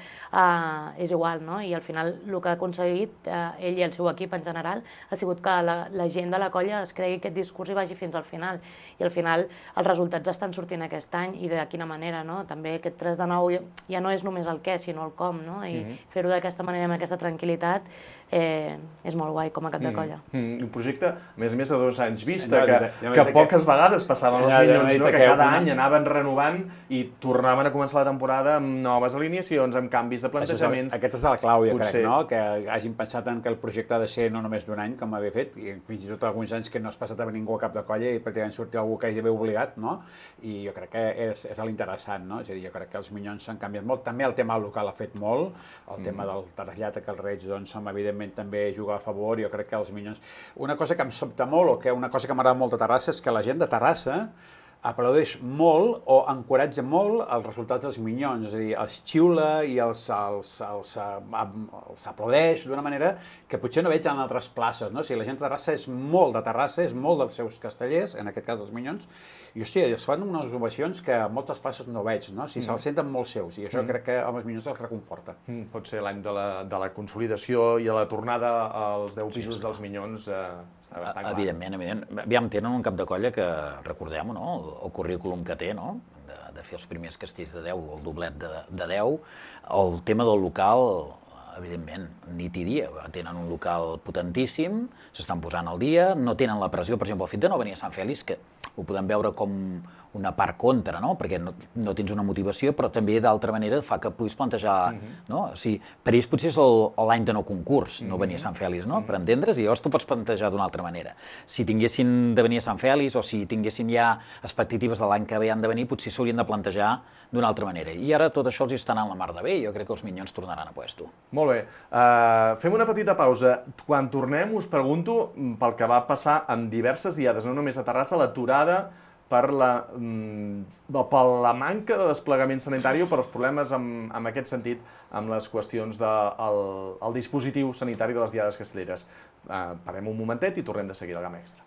és igual, no? I al final el que ha aconseguit ell i el seu equip en general ha sigut que la gent de la colla es cregui aquest discurs i vagi fins al final. I al final els resultats estan sortint aquest any i de quina manera, no? També aquest 3 de 9 ja no és només el què, sinó el com, no? I fer-ho d'aquesta manera, amb aquesta tranquil·litat, és molt guai com a cap de colla. Un projecte, a més de 2 anys vista, que poques vegades passaven els Minyons, que cada any anaven renovant i tornaven a començar la temporada amb noves alineacions, amb canvis de plantejaments. Aquesta és la clau, jo crec, no? Que hagin pensat en que el projecte ha de ser no només d'un any, com havia fet, i fins i tot alguns anys que no has passat a ningú a cap de colla i pràcticament sortir algú que hagi d'haver obligat, no? I jo crec que és l'interessant, no? És a dir, jo crec que els Minyons s'han canviat molt. També el tema local ha fet molt, el tema del traslllat que els Reig, doncs, evidentment també juga a favor. Jo crec que els Minyons... Una cosa que em sobta molt, o que una cosa que m'agrada molt de Terrassa, és que la gent de Terrassa aplaudeix molt o encoratja molt els resultats dels Minyons, és a dir, els xiula i els aplaudeix d'una manera que potser no veig en altres places, no? O sigui, la gent de Terrassa és molt de Terrassa, és molt dels seus castellers, en aquest cas dels Minyons, i, hòstia, es fan unes ovacions que a moltes places no veig, no? O sigui, se'ls senten molt seus, i això crec que amb els Minyons els reconforta. Pot ser l'any de la consolidació i a la tornada als 10 pisos dels Minyons. Evidentment. Aviam, tenen un cap de colla que, recordem-ho, no?, el currículum que té, no?, de fer els primers castells de 10, el doblet de 10. El tema del local, evidentment, nit i dia. Tenen un local potentíssim, s'estan posant al dia, no tenen la pressió, per exemple, el fet de no venir a Sant Fèlix, que ho podem veure com una part contra, no? Perquè no tens una motivació, però també d'altra manera fa que puguis plantejar, no? O sigui, per ells potser és l'any de no concurs, no venir a Sant Fèlix, no? Per entendre's, i llavors tu pots plantejar d'una altra manera. Si tinguessin de venir a Sant Fèlix o si tinguessin ja expectatives de l'any que ve han de venir, potser s'haurien de plantejar d'una altra manera. I ara tot això els està anant la mar de bé i jo crec que els Minyons tornaran a puesto. Molt bé. Fem una petita pausa. Quan tornem us pregunto pel que va passar amb diverses diades, no només a Terrassa, l'aturada per la manca de desplegament sanitari o per els problemes en aquest sentit amb les qüestions del dispositiu sanitari de les diades castelleres. Parem un momentet i tornem de seguida al Gamma Extra.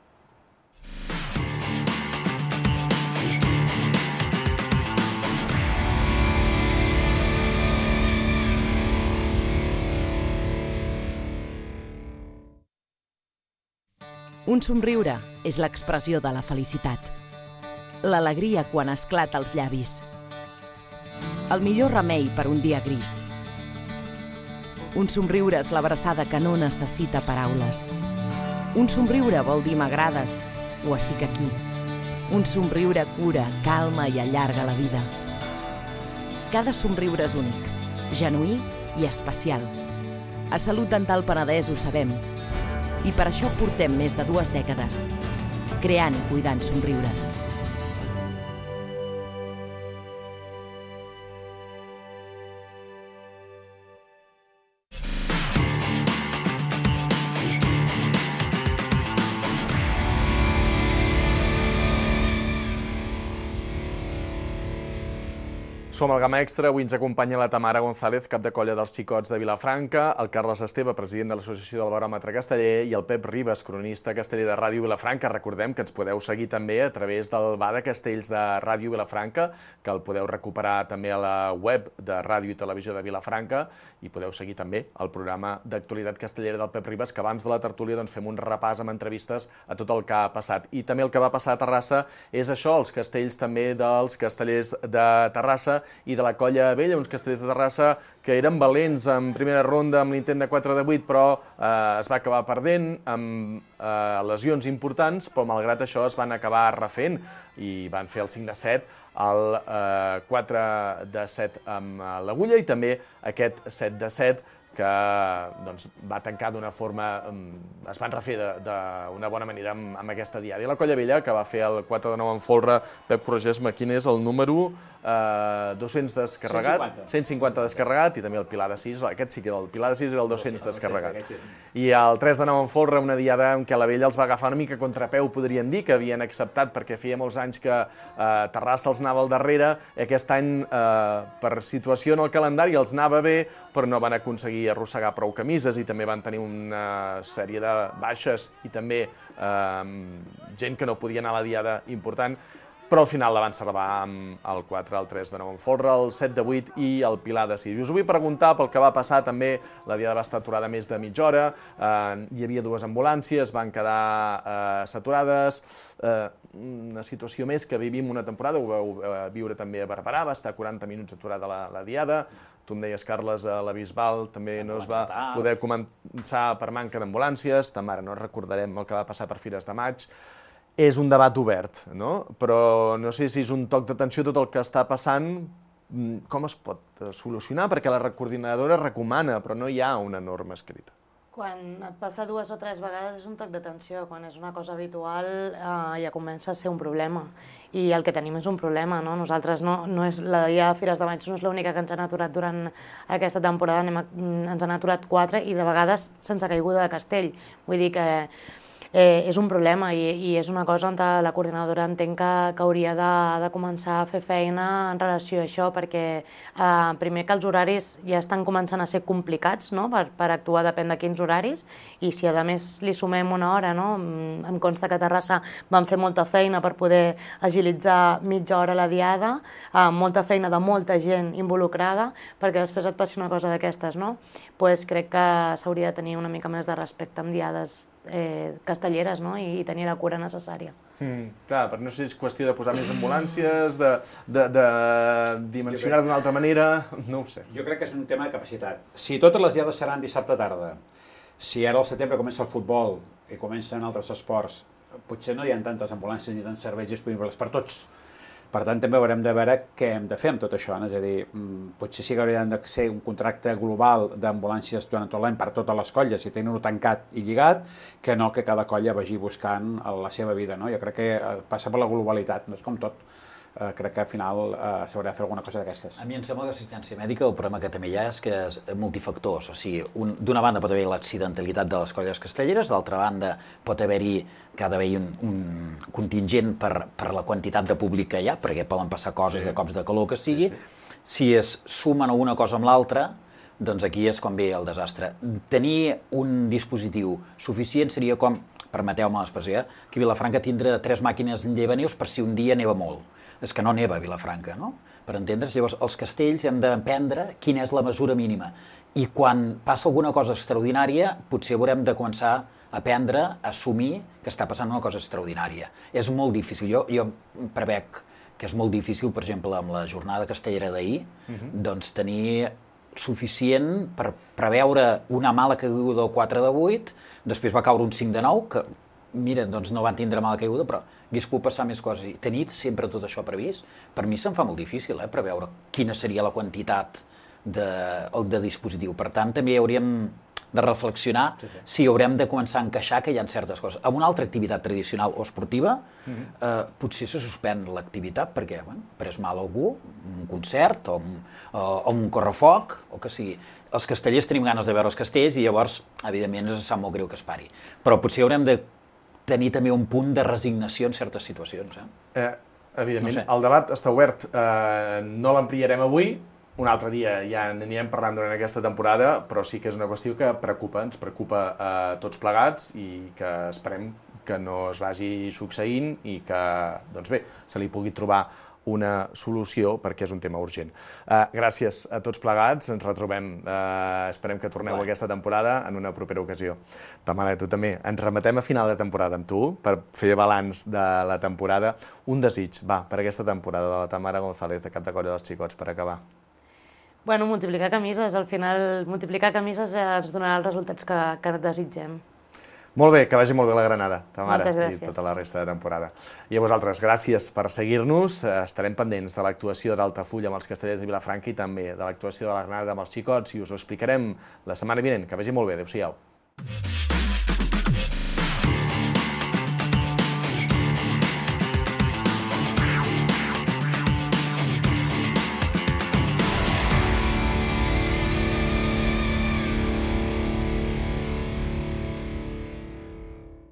Un somriure és l'expressió de la felicitat. L'alegria quan esclata als llavis. El millor remei per un dia gris. Un somriure és l'abraçada que no necessita paraules. Un somriure vol dir m'agrades o estic aquí. Un somriure cura, calma i allarga la vida. Cada somriure és únic, genuí i especial. A Salut Dental Penedès ho sabem. I per això portem més de 2 dècades, creant i cuidant somriures. Som al Gamma Extra, avui ens acompanya la Tamara González, cap de colla dels Xicots de Vilafranca, el Carles Esteve, president de l'Associació del Baròmetre Casteller, i el Pep Ribas, cronista casteller de Ràdio Vilafranca. Recordem que ens podeu seguir també a través del Bar de Castells de Ràdio Vilafranca, que el podeu recuperar també a la web de Ràdio i Televisió de Vilafranca, i podeu seguir també el programa d'actualitat castellera del Pep Ribas, que abans de la tertúlia fem un repàs amb entrevistes a tot el que ha passat. I també el que va passar a Terrassa és això, els castells també dels castellers de Terrassa i de la Colla Vella, uns castellers de Terrassa que eren valents en primera ronda amb l'intent de 4 de 8, però es va acabar perdent amb lesions importants, però malgrat això es van acabar refent i van fer el 5 de 7, el 4 de 7 amb l'Agulla i també aquest 7 de 7 que va tancar d'una forma, es van refer d'una bona manera amb aquesta diada. I la Colla Vella, que va fer el 4 de 9 en folre, Pep, corregeix-me, quin és el número? 200 descarregat, 150 descarregat, i també el Pilar de 6, aquest sí que era el Pilar de 6, era el 200 descarregat. I el 3 de 9 en folre, una diada en què la Vella els va agafar una mica contrapeu, podríem dir, que havien acceptat perquè feia molts anys que Terrassa els anava al darrere, aquest any per situació en el calendari els anava bé, però no van aconseguir arrossegar prou camises i també van tenir una sèrie de baixes i també gent que no podia anar a la diada important, però al final la van salvar amb el 4, el 3 de 9 en folre, el 7 de 8 i el Pilar de 6. Us ho vull preguntar pel que va passar també, la diada va estar aturada més de mitja hora, hi havia 2 ambulàncies, van quedar saturades, una situació més que vivim una temporada, ho vau viure també a Barberà, va estar 40 minuts aturada la diada, tu em deies, Carles, a la Bisbal també no es va poder començar per manca d'ambulàncies, ara no recordarem el que va passar per Fires de Maig. És un debat obert, no? Però no sé si és un toc d'atenció tot el que està passant, com es pot solucionar? Perquè la coordinadora recomana, però no hi ha una norma escrita. Quan et passa 2 o 3 vegades és un toc d'atenció, quan és una cosa habitual ja comença a ser un problema. I el que tenim és un problema, no? Nosaltres la dia de Fires de Maig no és l'única que ens han aturat durant aquesta temporada, ens han aturat 4 i de vegades sense caiguda de castell. Vull dir que és un problema i és una cosa on la coordinadora entenc que hauria de començar a fer feina en relació a això, perquè primer que els horaris ja estan començant a ser complicats per actuar, depèn de quins horaris, i si a més li sumem una hora, em consta que a Terrassa van fer molta feina per poder agilitzar mitja hora la diada, molta feina de molta gent involucrada, perquè després et passi una cosa d'aquestes, no? Doncs crec que s'hauria de tenir una mica més de respecte amb diades castelleres i tenir la cura necessària. Clar, però no sé si és qüestió de posar més ambulàncies, de dimensionar d'una altra manera, no ho sé. Jo crec que és un tema de capacitat. Si totes les diades seran dissabte tarda, si ara al setembre comença el futbol i comencen altres esports, potser no hi ha tantes ambulàncies ni tants serveis disponibles per tots. Per tant, també haurem de veure què hem de fer amb tot això. És a dir, potser sí que hauria de ser un contracte global d'ambulàncies durant tot l'any per totes les colles i tenir-ho tancat i lligat, que no que cada colla vagi buscant la seva vida. Jo crec que passa per la globalitat, no és com tot. Crec que al final s'haurà de fer alguna cosa d'aquestes. A mi em sembla que l'assistència mèdica el problema que també hi ha és que és multifactors. O sigui, d'una banda pot haver l'accidentalitat de les colles castelleres, d'altra banda pot haver-hi que ha d'haver-hi un contingent per la quantitat de públic que hi ha, perquè poden passar coses de cops de calor que sigui. Si es sumen una cosa amb l'altra, doncs aquí és quan ve el desastre. Tenir un dispositiu suficient seria com, permeteu-me l'expressió, que Vilafranca tindrà 3 màquines llevaneus per si un dia neva molt. És que no neva a Vilafranca, no? Per entendre's, llavors els castells hem d'aprendre quina és la mesura mínima. I quan passa alguna cosa extraordinària, potser haurem de començar a aprendre a assumir que està passant una cosa extraordinària. És molt difícil. Jo prevec que és molt difícil, per exemple, amb la jornada castellera d'ahir, doncs tenir suficient per preveure una mala caiguda del 4 de 8, després va caure un 5 de 9, que, mira, doncs no van tindre mala caiguda, però hagués pogut passar més coses. I tenir sempre tot això previst, per mi se'm fa molt difícil, preveure quina seria la quantitat de dispositiu. Per tant, també hauríem de reflexionar si haurem de començar a encaixar que hi ha certes coses. Amb una altra activitat tradicional o esportiva, potser se suspèn l'activitat perquè ha pres mal algú, un concert o un correfoc, o que sigui. Els castellers tenim ganes de veure els castells i llavors, evidentment, ens sap molt greu que es pari. Però potser haurem de tenir també un punt de resignació en certes situacions. Evidentment, el debat està obert. No l'ampliarem avui, un altre dia ja n'anirem parlant durant aquesta temporada, però sí que és una qüestió que ens preocupa a tots plegats i que esperem que no es vagi succeint i que, doncs bé, se li pugui trobar una solució perquè és un tema urgent. Gràcies a tots plegats, ens retrobem. Esperem que torneu aquesta temporada en una propera ocasió. Tamara, tu també. Ens remetem a final de temporada amb tu per fer balanç de la temporada. Un desig, per aquesta temporada de la Tamara González, de cap de colla dels xicots, per acabar. Bueno, multiplicar camises. Al final, multiplicar camises ens donarà els resultats que desitgem. Molt bé, que vagi molt bé la Granada, Tamara, Moltes gràcies. I tota la resta de temporada. I a vosaltres, gràcies per seguir-nos. Estarem pendents de l'actuació d'Altafulla amb els castellers de Vilafranca i també de l'actuació de la Granada amb els xicots i us ho explicarem la setmana vinent. Que vagi molt bé. Adéu-siau.